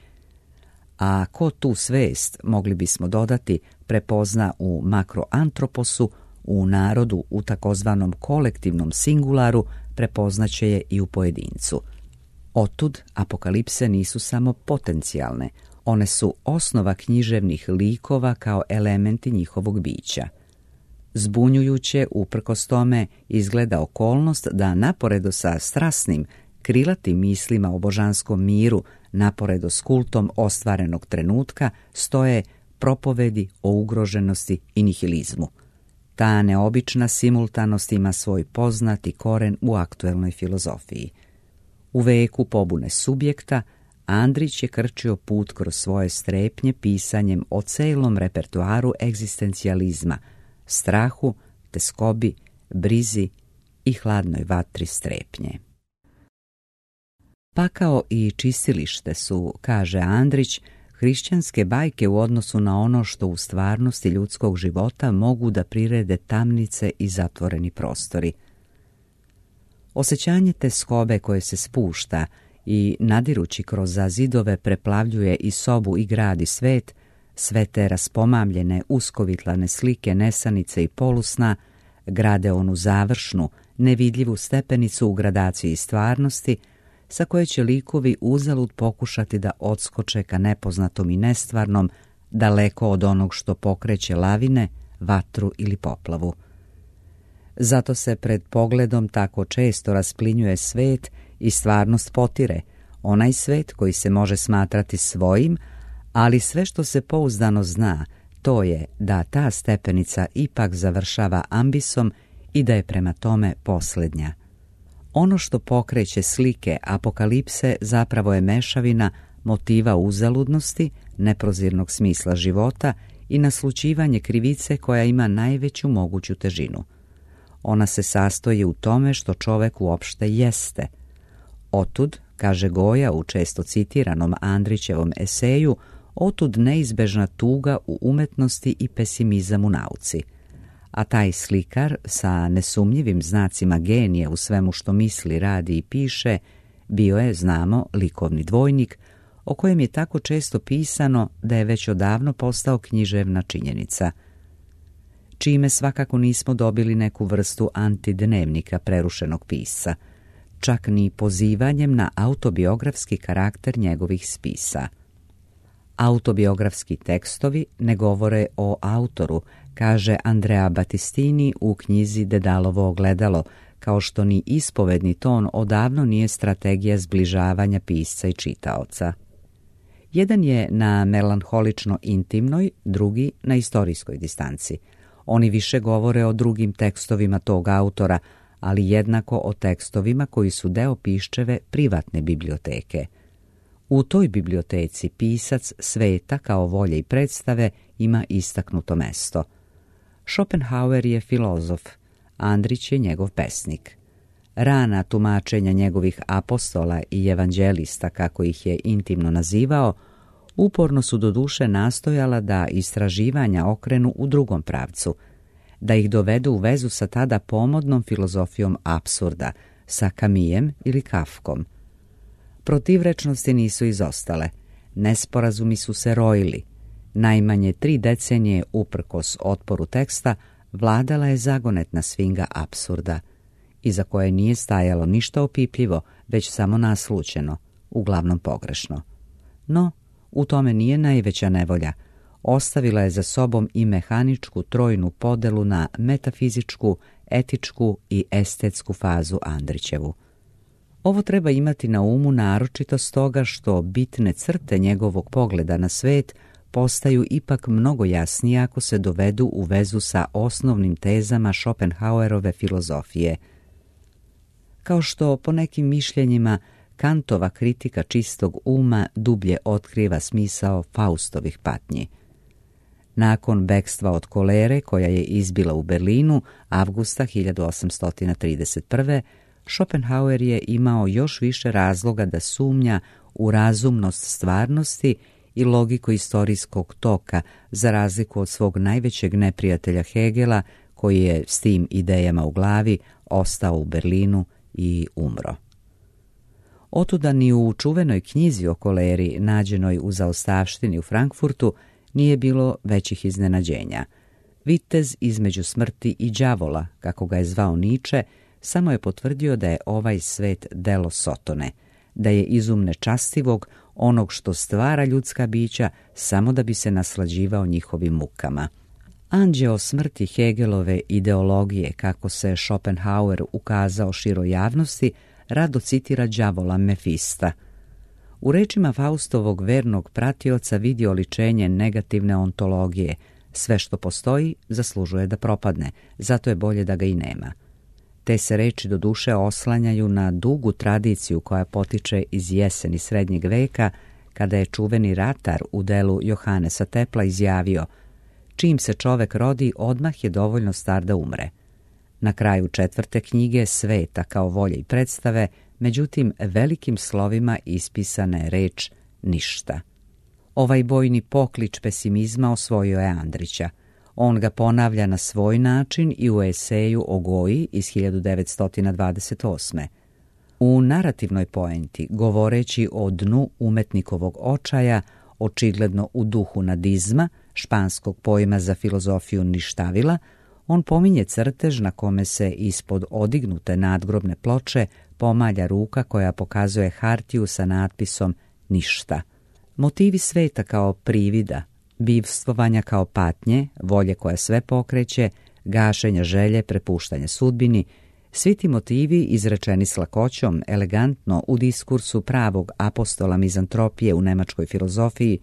A ko tu svest, mogli bismo dodati, prepozna u makroantroposu, u narodu u takozvanom kolektivnom singularu, prepoznaće je i u pojedincu. Otud apokalipse nisu samo potencijalne, one su osnova književnih likova kao elementi njihovog bića. Zbunjujuće, uprkos tome, izgleda okolnost da naporedo sa strasnim, krilatim mislima o božanskom miru, naporedo s kultom ostvarenog trenutka, stoje propovedi o ugroženosti i nihilizmu. Ta neobična simultanost ima svoj poznati koren u aktuelnoj filozofiji. U veku pobune subjekta, Andrić je krčio put kroz svoje strepnje pisanjem o celom repertoaru egzistencijalizma, strahu, teskobi, brizi i hladnoj vatri strepnje. Pakao i čistilište su, kaže Andrić, hrišćanske bajke u odnosu na ono što u stvarnosti ljudskog života mogu da prirede tamnice i zatvoreni prostori. Osjećanje teskobe koje se spušta i nadirući kroz zidove preplavljuje i sobu i grad i svet, sve te raspomamljene, uskovitlane slike nesanice i polusna grade onu završnu, nevidljivu stepenicu u gradaciji stvarnosti, sa koje će likovi uzalud pokušati da odskoče ka nepoznatom i nestvarnom, daleko od onog što pokreće lavine, vatru ili poplavu. Zato se pred pogledom tako često rasplinjuje svet i stvarnost potire, onaj svet koji se može smatrati svojim, ali sve što se pouzdano zna, to je da ta stepenica ipak završava ambisom i da je prema tome posljednja. Ono što pokreće slike apokalipse zapravo je mešavina motiva uzaludnosti, neprozirnog smisla života i naslućivanje krivice koja ima najveću moguću težinu. Ona se sastoji u tome što čovek uopšte jeste. Otud, kaže Goja u često citiranom Andrićevom eseju, otud neizbežna tuga u umetnosti i pesimizam u nauci. a taj slikar sa nesumnjivim znacima genija u svemu što misli, radi i piše bio je, znamo, likovni dvojnik o kojem je tako često pisano da je već odavno postao književna činjenica, čime svakako nismo dobili neku vrstu antidnevnika prerušenog pisca, čak ni pozivanjem na autobiografski karakter njegovih spisa. Autobiografski tekstovi ne govore o autoru, kaže Andrea Battistini u knjizi Dedalovo ogledalo, kao što ni ispovedni ton odavno nije strategija zbližavanja pisca i čitaoca. Jedan je na melanholično intimnoj, drugi na istorijskoj distanci. Oni više govore o drugim tekstovima tog autora, ali jednako o tekstovima koji su deo Piščeve privatne biblioteke. U toj biblioteci pisac sveta kao volje i predstave ima istaknuto mesto. Schopenhauer je filozof, Andrić je njegov pesnik. Rana tumačenja njegovih apostola i evanđelista, kako ih je intimno nazivao, uporno su doduše nastojala da istraživanja okrenu u drugom pravcu, da ih dovedu u vezu sa tada pomodnom filozofijom apsurda, sa Camusom ili Kafkom. Protivrečnosti nisu izostale, nesporazumi su se rojili. Najmanje 3 decenije uprkos otporu teksta vladala je zagonetna svinga apsurda, iza koje nije stajalo ništa opipljivo, već samo naslućeno, uglavnom pogrešno. No, u tome nije najveća nevolja. Ostavila je za sobom i mehaničku trojnu podelu na metafizičku, etičku i estetsku fazu Andrićevu. Ovo treba imati na umu naročito stoga što bitne crte njegovog pogleda na svet postaju ipak mnogo jasnije ako se dovedu u vezu sa osnovnim tezama Schopenhauerove filozofije. Kao što po nekim mišljenjima Kantova kritika čistog uma dublje otkriva smisao Faustovih patnji. Nakon bekstva od kolere koja je izbila u Berlinu avgusta 1831. Schopenhauer je imao još više razloga da sumnja u razumnost stvarnosti i logiku istorijskog toka, za razliku od svog najvećeg neprijatelja Hegela, koji je s tim idejama u glavi ostao u Berlinu i umro. Otuda ni u čuvenoj knjizi o koleri, nađenoj u zaostavštini u Frankfurtu, nije bilo većih iznenađenja. Vitez između smrti i đavola, kako ga je zvao Nietzsche, samo je potvrdio da je ovaj svet delo Sotone, da je izum nečastivog, onog što stvara ljudska bića samo da bi se naslađivao njihovim mukama. Anđeo smrti Hegelove ideologije, kako se Schopenhauer ukazao široj javnosti, rado citira đavola Mefista. U rečima Faustovog vernog pratioca vidi oličenje negativne ontologije. Sve što postoji zaslužuje da propadne, zato je bolje da ga i nema. Te se reči doduše oslanjaju na dugu tradiciju koja potiče iz jeseni srednjeg veka, kada je čuveni ratar u delu Johannesa Tepla izjavio: čim se čovek rodi, odmah je dovoljno star da umre. Na kraju 4. knjige Sveta kao volje i predstave, međutim, velikim slovima ispisana je reč ništa. Ovaj bojni poklič pesimizma osvojio je Andrića. On ga ponavlja na svoj način i u eseju o Goji iz 1928. U narativnoj poenti, govoreći o dnu umetnikovog očaja, očigledno u duhu nadizma, španskog pojma za filozofiju ništavila, on pominje crtež na kome se ispod odignute nadgrobne ploče pomalja ruka koja pokazuje hartiju sa natpisom ništa. Motivi sveta kao privida, bivstvovanja kao patnje, volje koja sve pokreće, gašenja želje, prepuštanja sudbini, svi ti motivi izrečeni s lakoćom, elegantno u diskursu pravog apostola mizantropije u nemačkoj filozofiji,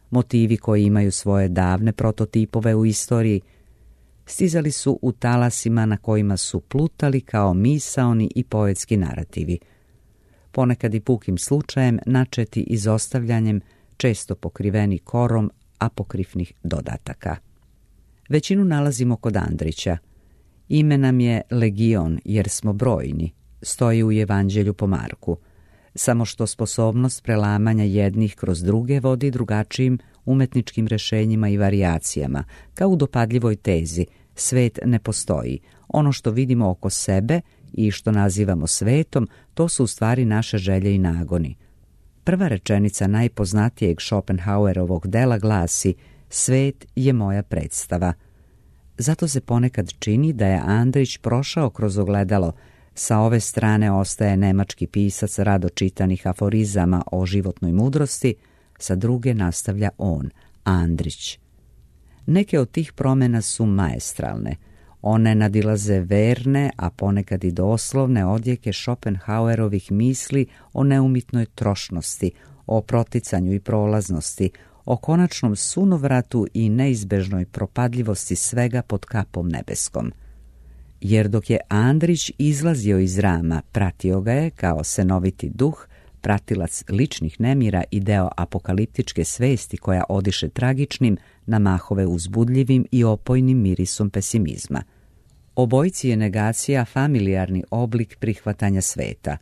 motivi koji imaju svoje davne prototipove u istoriji, stizali su u talasima na kojima su plutali kao misaoni i poetski narativi, ponekad i pukim slučajem načeti izostavljanjem, često pokriveni korom apokrifnih dodataka. Većinu nalazimo kod Andrića. Ime nam je Legion jer smo brojni, stoji u Evanđelju po Marku, samo što sposobnost prelamanja jednih kroz druge vodi drugačijim umetničkim rešenjima i varijacijama, kao u dopadljivoj tezi, Svet ne postoji. Ono što vidimo oko sebe i što nazivamo svetom, to su u stvari naše želje i nagoni. Prva rečenica najpoznatijeg Schopenhauerovog dela glasi: svet je moja predstava. Zato se ponekad čini da je Andrić prošao kroz ogledalo. Sa ove strane ostaje nemački pisac rado čitanih aforizama o životnoj mudrosti, sa druge nastavlja on, Andrić. Neke od tih promjena su maestralne. One nadilaze verne, a ponekad i doslovne odjeke Schopenhauerovih misli o neumitnoj trošnosti, o proticanju i prolaznosti, o konačnom sunovratu i neizbežnoj propadljivosti svega pod kapom nebeskom. Jer dok je Andrić izlazio iz rama, pratio ga je, kao senoviti duh, pratilac ličnih nemira i deo apokaliptičke svesti koja odiše tragičnim, na mahove uzbudljivim i opojnim mirisom pesimizma. Obojici je negacija familijarni oblik prihvatanja sveta.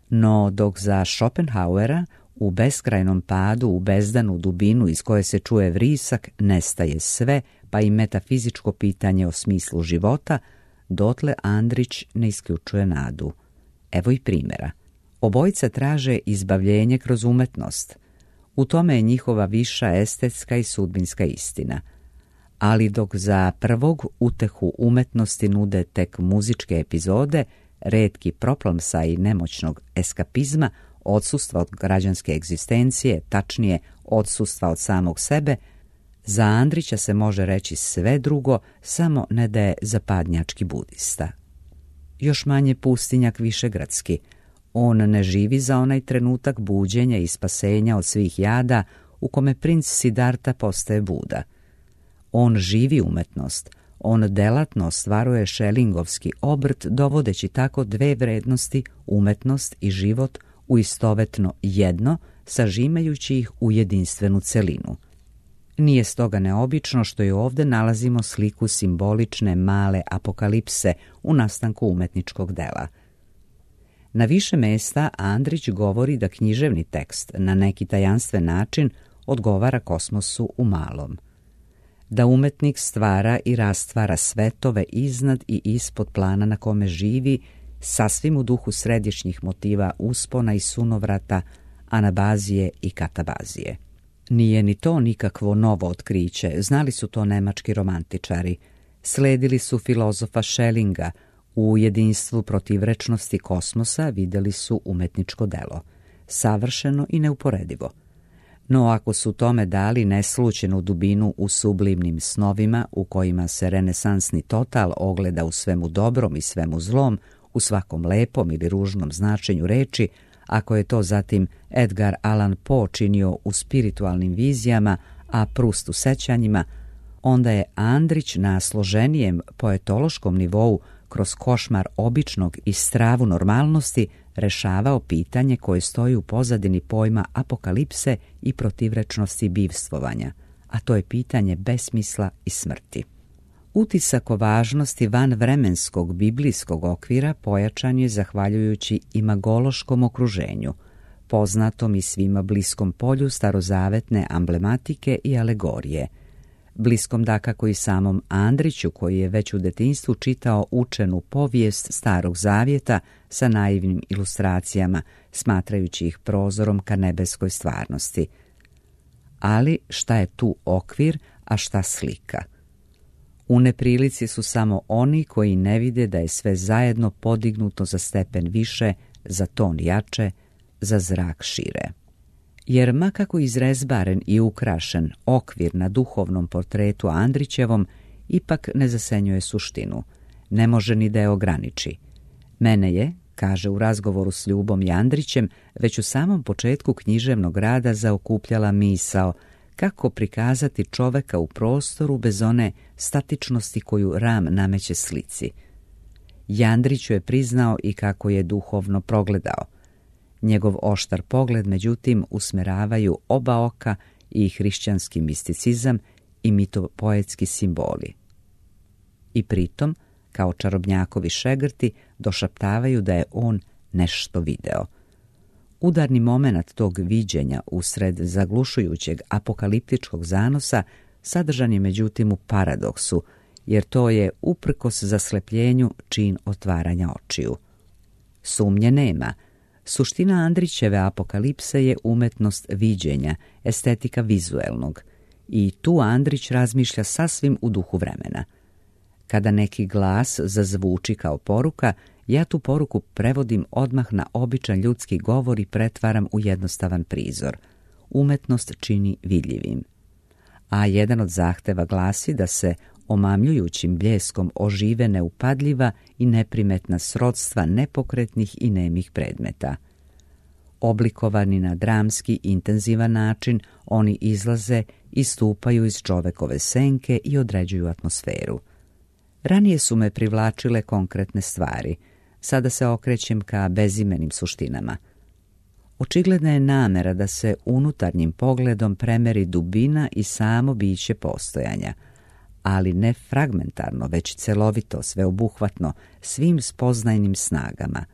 No dok za Schopenhauera u beskrajnom padu, u bezdanu dubinu iz koje se čuje vrisak, nestaje sve, pa i metafizičko pitanje o smislu života, dotle Andrić ne isključuje nadu. Evo i primjera. Obojica traže izbavljenje kroz umetnost. U tome je njihova viša estetska i sudbinska istina. Ali dok za prvog utehu umetnosti nude tek muzičke epizode, retki proplomsaji nemoćnog eskapizma, odsustva od građanske egzistencije, tačnije odsustva od samog sebe, za Andrića se može reći sve drugo, samo ne da je zapadnjački budista. Još manje pustinjak višegradski. On ne živi za onaj trenutak buđenja i spasenja od svih jada u kome princ Siddharta postaje Buda. On živi umetnost, on delatno ostvaruje šelingovski obrt, dovodeći tako dve vrednosti, umetnost i život, u istovetno jedno, sažimajući ih u jedinstvenu celinu. Nije stoga neobično što i ovdje nalazimo sliku simbolične male apokalipse u nastanku umetničkog dela. Na više mesta Andrić govori da književni tekst na neki tajanstven način odgovara kosmosu u malom. Da umetnik stvara i rastvara svetove iznad i ispod plana na kome živi, sasvim u duhu središnjih motiva uspona i sunovrata, anabazije i katabazije. Nije ni to nikakvo novo otkriće, znali su to nemački romantičari. Sledili su filozofa Schellinga, u jedinstvu protivrečnosti kosmosa vidjeli su umetničko delo, savršeno i neuporedivo. No ako su tome dali neslućenu dubinu u sublimnim snovima u kojima se renesansni total ogleda u svemu dobrom i svemu zlom, u svakom lepom ili ružnom značenju reči, ako je to zatim Edgar Allan Poe činio u spiritualnim vizijama, a Proust u sećanjima, onda je Andrić na složenijem poetološkom nivou kroz košmar običnog i stravu normalnosti rešavao pitanje koje stoji u pozadini pojma apokalipse i protivrečnosti bivstvovanja, a to je pitanje besmisla i smrti. Utisak o važnosti vanvremenskog biblijskog okvira pojačan je zahvaljujući imagološkom okruženju, poznatom i svima bliskom polju starozavetne amblematike i alegorije, bliskom dakako i samom Andriću koji je već u detinjstvu čitao učenu povijest Starog Zavjeta sa naivnim ilustracijama, smatrajući ih prozorom ka nebeskoj stvarnosti. Ali šta je tu okvir, a šta slika? U neprilici su samo oni koji ne vide da je sve zajedno podignuto za stepen više, za ton jače, za zrak šire. Jer ma kako izrezbaren i ukrašen okvir na duhovnom portretu Andrićevom ipak ne zasenjuje suštinu, ne može ni da je ograniči. Mene je, kaže u razgovoru s Ljubom i Andrićem, već u samom početku književnog rada zaokupljala misao kako prikazati čoveka u prostoru bez one statičnosti koju ram nameće slici. Andriću je priznao i kako je duhovno progledao. Njegov oštar pogled, međutim, usmeravaju oba oka i hrišćanski misticizam i mitopoetski simboli. I pritom, kao čarobnjakovi šegrti, došaptavaju da je on nešto video. Udarni moment tog viđenja usred zaglušujućeg apokaliptičkog zanosa sadržan je međutim u paradoksu jer to je uprkos zaslepljenju čin otvaranja očiju. Sumnje nema. Suština Andrićeve apokalipse je umetnost viđenja, estetika vizuelnog. I tu Andrić razmišlja sasvim u duhu vremena. Kada neki glas zazvuči kao poruka, ja tu poruku prevodim odmah na običan ljudski govor i pretvaram u jednostavan prizor. Umetnost čini vidljivim. A jedan od zahteva glasi da se omamljujućim bljeskom ožive neupadljiva i neprimetna srodstva nepokretnih i nemih predmeta. Oblikovani na dramski, intenzivan način, oni izlaze i stupaju iz čovekove senke i određuju atmosferu. Ranije su me privlačile konkretne stvari, sada se okrećem ka bezimenim suštinama. Očigledna je namera da se unutarnjim pogledom premeri dubina i samo biće postojanja, ali ne fragmentarno, već celovito, sveobuhvatno, svim spoznajnim snagama.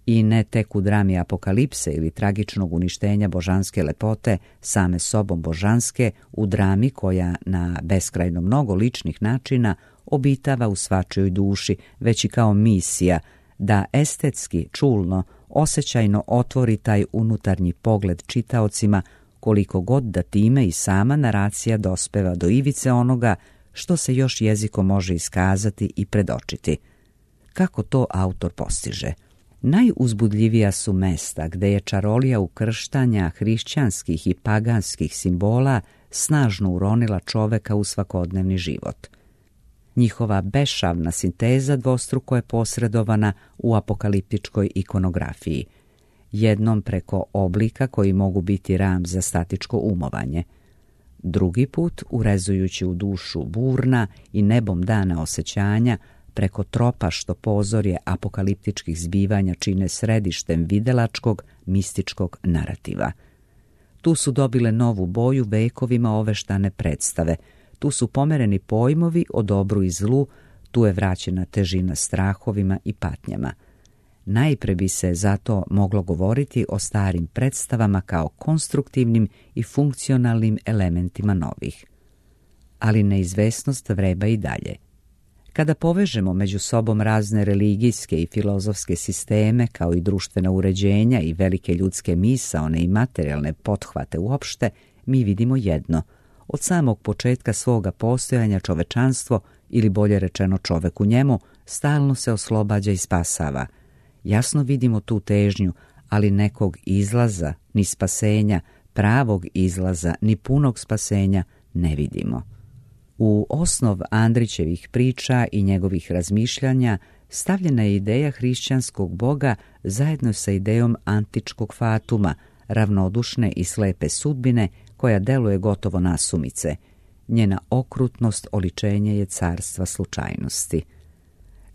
I ne tek u drami apokalipse ili tragičnog uništenja božanske lepote, same sobom božanske, u drami koja na beskrajno mnogo ličnih načina obitava u svačijoj duši, već i kao misija, da estetski, čulno, osjećajno otvori taj unutarnji pogled čitaocima, koliko god da time i sama naracija dospeva do ivice onoga što se još jezikom može iskazati i predočiti. Kako to autor postiže? Najuzbudljivija su mesta gde je čarolija ukrštanja hrišćanskih i paganskih simbola snažno uronila čoveka u svakodnevni život. Njihova bešavna sinteza dvostruko je posredovana u apokaliptičkoj ikonografiji, jednom preko oblika koji mogu biti ram za statičko umovanje, drugi put urezujući u dušu burna i nebom dana osjećanja preko tropa što pozorje apokaliptičkih zbivanja čine središtem videlačkog, mističkog narativa. Tu su dobile novu boju vekovima oveštane predstave, tu su pomereni pojmovi o dobru i zlu, tu je vraćena težina strahovima i patnjama. Najpre bi se zato moglo govoriti o starim predstavama kao konstruktivnim i funkcionalnim elementima novih. Ali neizvesnost vreba i dalje. Kada povežemo među sobom razne religijske i filozofske sisteme, kao i društvena uređenja i velike ljudske misaone i materijalne pothvate uopšte, mi vidimo jedno. Od samog početka svoga postojanja čovečanstvo, ili bolje rečeno čovek u njemu, stalno se oslobađa i spasava. Jasno vidimo tu težnju, ali nekog izlaza, ni spasenja, pravog izlaza, ni punog spasenja ne vidimo. U osnov Andrićevih priča i njegovih razmišljanja stavljena je ideja hrišćanskog boga zajedno sa idejom antičkog fatuma, ravnodušne i slepe sudbine koja deluje gotovo nasumice. Njena okrutnost oličenje je carstva slučajnosti.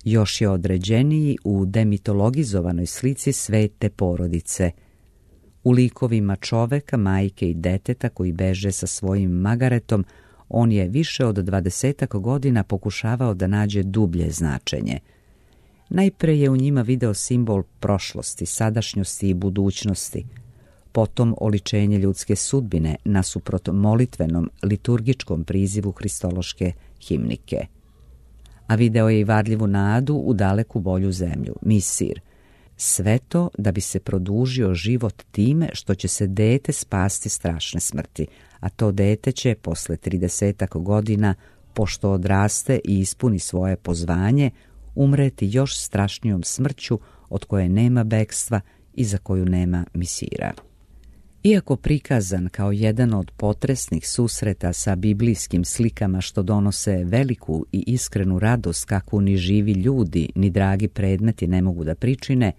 Još je određeniji u demitologizovanoj slici svete porodice. U likovima čoveka, majke i deteta koji beže sa svojim magaretom, on je više od 20 godina pokušavao da nađe dublje značenje. Najpre je u njima video simbol prošlosti, sadašnjosti i budućnosti, potom oličenje ljudske sudbine nasuprot molitvenom liturgičkom prizivu hristološke himnike. A video je i varljivu nadu u daleku bolju zemlju, Misir. Sve to da bi se produžio život time što će se dete spasti strašne smrti, a to dete će posle 30 godina, pošto odraste i ispuni svoje pozvanje, umreti još strašnijom smrću od koje nema bekstva i za koju nema misira. Iako prikazan kao jedan od potresnih susreta sa biblijskim slikama što donose veliku i iskrenu radost kakvu ni živi ljudi ni dragi predmeti ne mogu da pričine,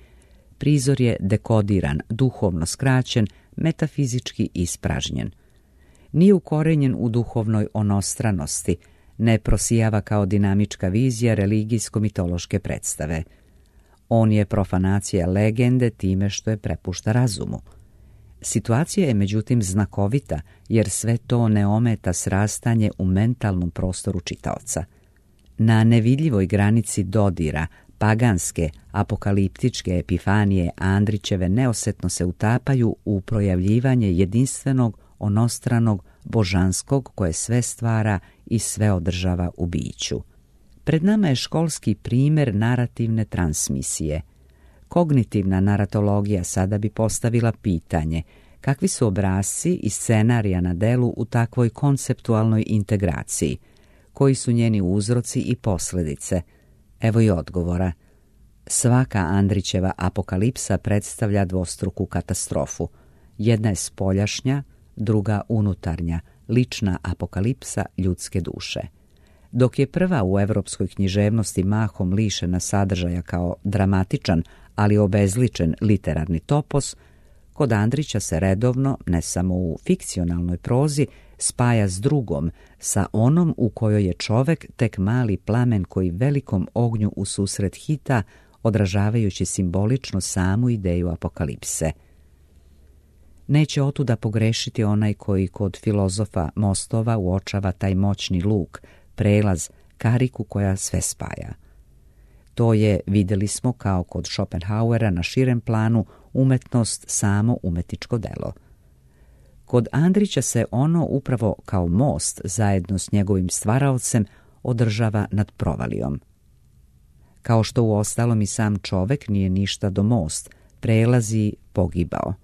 prizor je dekodiran, duhovno skraćen, metafizički ispražnjen. Nije ukorenjen u duhovnoj onostranosti, ne prosijava kao dinamička vizija religijsko-mitološke predstave. On je profanacija legende time što je prepušta razumu. Situacija je međutim znakovita, jer sve to ne ometa srastanje u mentalnom prostoru čitaoca. Na nevidljivoj granici dodira, paganske, apokaliptičke epifanije Andrićeve neosetno se utapaju u projavljivanje jedinstvenog, onostranog, božanskog koje sve stvara i sve održava u biću. Pred nama je školski primjer narativne transmisije. Kognitivna naratologija sada bi postavila pitanje kakvi su obrasci i scenarija na delu u takvoj konceptualnoj integraciji, koji su njeni uzroci i posljedice. Evo i odgovora. Svaka Andrićeva apokalipsa predstavlja dvostruku katastrofu. Jedna je spoljašnja, druga unutarnja, lična apokalipsa ljudske duše. Dok je prva u europskoj književnosti mahom lišena sadržaja kao dramatičan, ali obezličen literarni topos, kod Andrića se redovno, ne samo u fikcionalnoj prozi, spaja s drugom, sa onom u kojoj je čovek tek mali plamen koji velikom ognju u susret hita, odražavajući simbolično samu ideju apokalipse. Neće otuda pogrešiti onaj koji kod filozofa mostova uočava taj moćni luk, prelaz, kariku koja sve spaja. To je, vidjeli smo kao kod Schopenhauera na širem planu, umetnost samo umetničko delo. Kod Andrića se ono upravo kao most zajedno s njegovim stvaraocem održava nad provalijom. Kao što uostalom i sam čovek nije ništa do most, prelazi pogibao.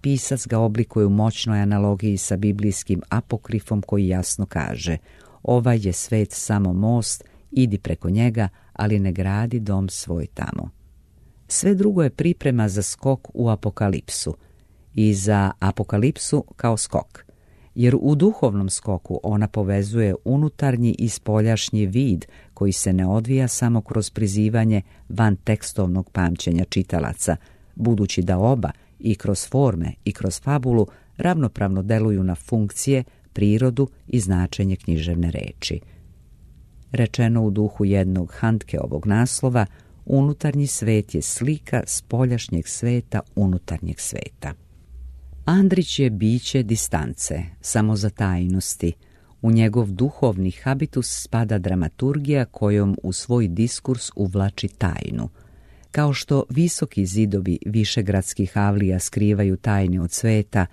Pisac ga oblikuje u moćnoj analogiji sa biblijskim apokrifom koji jasno kaže: ovaj je svet samo most, idi preko njega, ali ne gradi dom svoj tamo. Sve drugo je priprema za skok u apokalipsu i za apokalipsu kao skok, jer u duhovnom skoku ona povezuje unutarnji i spoljašnji vid koji se ne odvija samo kroz prizivanje van tekstovnog pamćenja čitalaca, budući da oba i kroz forme i kroz fabulu ravnopravno deluju na funkcije, prirodu i značenje književne reči. Rečeno u duhu jednog Handkeovog naslova, unutarnji svet je slika spoljašnjeg sveta unutarnjeg sveta. Andrić je biće distance, samozatajnosti. U njegov duhovni habitus spada dramaturgija kojom u svoj diskurs uvlači tajnu. Kao što visoki zidovi višegradskih avlija skrivaju tajne od sveta,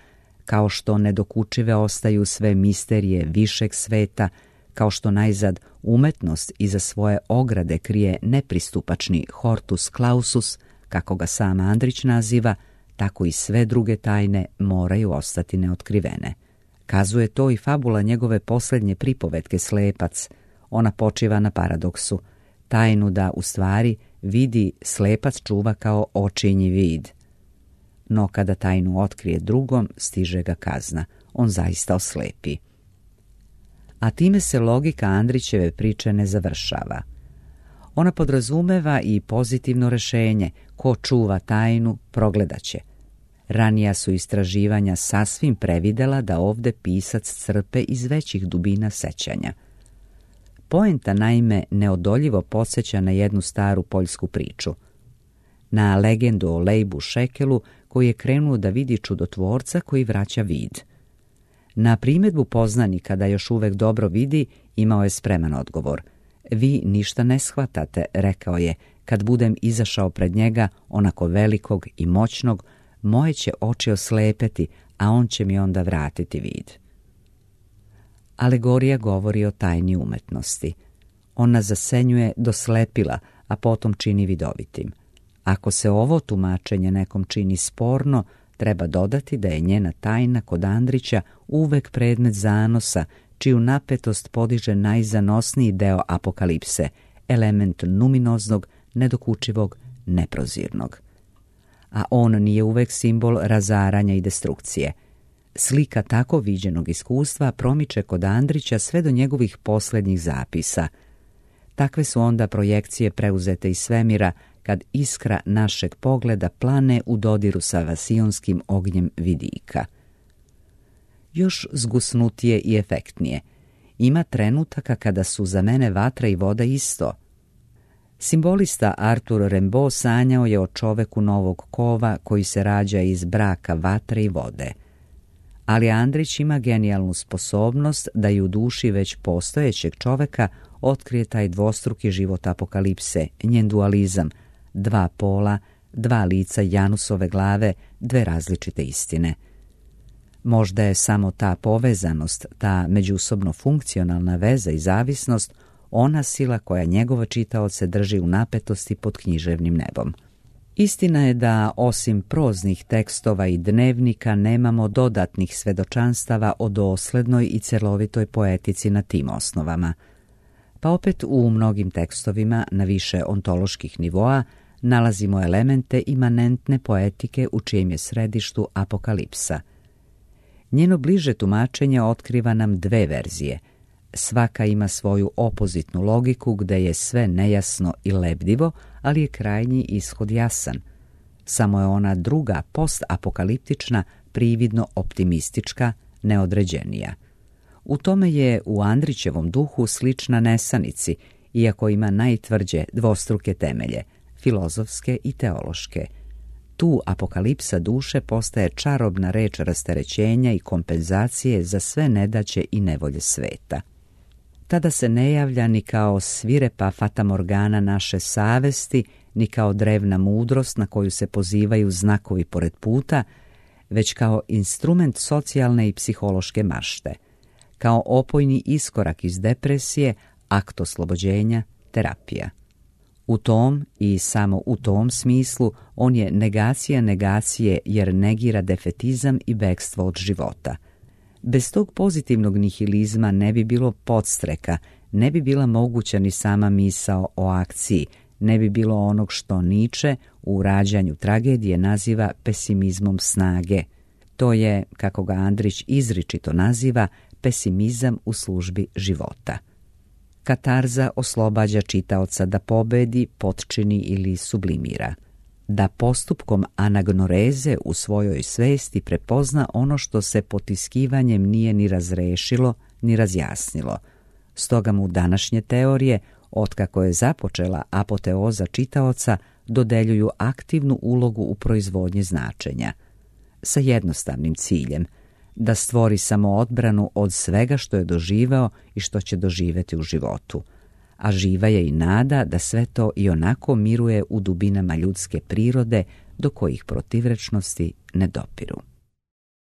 kao što nedokučive ostaju sve misterije višeg sveta, kao što najzad umetnost iza svoje ograde krije nepristupačni hortus clausus, kako ga sam Andrić naziva, tako i sve druge tajne moraju ostati neotkrivene. Kazuje to i fabula njegove posljednje pripovetke Slepac. Ona počiva na paradoksu. Tajnu da, u stvari, vidi slepac čuva kao očinji vid. No kada tajnu otkrije drugom, stiže ga kazna. On zaista oslepi. A time se logika Andrićeve priče ne završava. Ona podrazumeva i pozitivno rešenje: ko čuva tajnu, progledaće. Ranija su istraživanja sasvim previdela da ovde pisac crpe iz većih dubina sećanja. Poenta naime neodoljivo podsjeća na jednu staru poljsku priču. Na legendu o Leibu Šekelu koji je krenuo da vidi čudotvorca koji vraća vid. Na primjedbu poznanika da još uvek dobro vidi, imao je spreman odgovor. Vi ništa ne shvatate, rekao je, kad budem izašao pred njega, onako velikog i moćnog, moje će oči oslepeti, a on će mi onda vratiti vid. Alegorija govori o tajni umetnosti. Ona zasenjuje do slepila, a potom čini vidovitim. Ako se ovo tumačenje nekom čini sporno, treba dodati da je njena tajna kod Andrića uvek predmet zanosa, čiju napetost podiže najzanosniji deo apokalipse, element numinoznog, nedokučivog, neprozirnog. A on nije uvek simbol razaranja i destrukcije. Slika tako viđenog iskustva promiče kod Andrića sve do njegovih posljednjih zapisa. Takve su onda projekcije preuzete iz svemira, kad iskra našeg pogleda plane u dodiru sa vasionskim ognjem vidika. Još zgusnutije i efektnije. Ima trenutaka kada su za mene vatra i voda isto. Simbolista Arthur Rimbaud sanjao je o čoveku novog kova koji se rađa iz braka vatre i vode. Ali Andrić ima genijalnu sposobnost da i u duši već postojećeg čoveka otkrije taj dvostruki život apokalipse, njen dualizam, dva pola, dva lica Janusove glave, dve različite istine. Možda je samo ta povezanost, ta međusobno funkcionalna veza i zavisnost ona sila koja njegove čitaoce drži u napetosti pod književnim nebom. Istina je da osim proznih tekstova i dnevnika nemamo dodatnih svedočanstava o doslednoj i celovitoj poetici na tim osnovama. Pa opet u mnogim tekstovima na više ontoloških nivoa nalazimo elemente imanentne poetike u čijem je središtu apokalipsa. Njeno bliže tumačenje otkriva nam dve verzije. Svaka ima svoju opozitnu logiku gde je sve nejasno i lebdivo, ali je krajnji ishod jasan. Samo je ona druga, postapokaliptična, prividno optimistička, neodređenija. U tome je u Andrićevom duhu slična Nesanici, iako ima najtvrđe dvostruke temelje, filozofske i teološke. Tu apokalipsa duše postaje čarobna reč rasterećenja i kompenzacije za sve nedaće i nevolje sveta. Tada se ne javlja ni kao svirepa fatamorgana naše savesti, ni kao drevna mudrost na koju se pozivaju znakovi pored puta, već kao instrument socijalne i psihološke mašte, kao opojni iskorak iz depresije, akt oslobođenja, terapija. U tom i samo u tom smislu on je negacija negacije jer negira defetizam i bekstvo od života. Bez tog pozitivnog nihilizma ne bi bilo podstreka, ne bi bila moguća ni sama misao o akciji, ne bi bilo onog što Nietzsche u rađanju tragedije naziva pesimizmom snage. To je, kako ga Andrić izričito naziva, pesimizam u službi života. Katarza oslobađa čitaoca da pobedi, potčini ili sublimira. Da postupkom anagnoreze u svojoj svesti prepozna ono što se potiskivanjem nije ni razrešilo, ni razjasnilo. Stoga mu današnje teorije, otkako je započela apoteoza čitaoca, dodeljuju aktivnu ulogu u proizvodnji značenja. Sa jednostavnim ciljem, da stvori samoodbranu od svega što je doživeo i što će doživeti u životu. A živa je i nada da sve to i onako miruje u dubinama ljudske prirode do kojih protivrečnosti ne dopiru.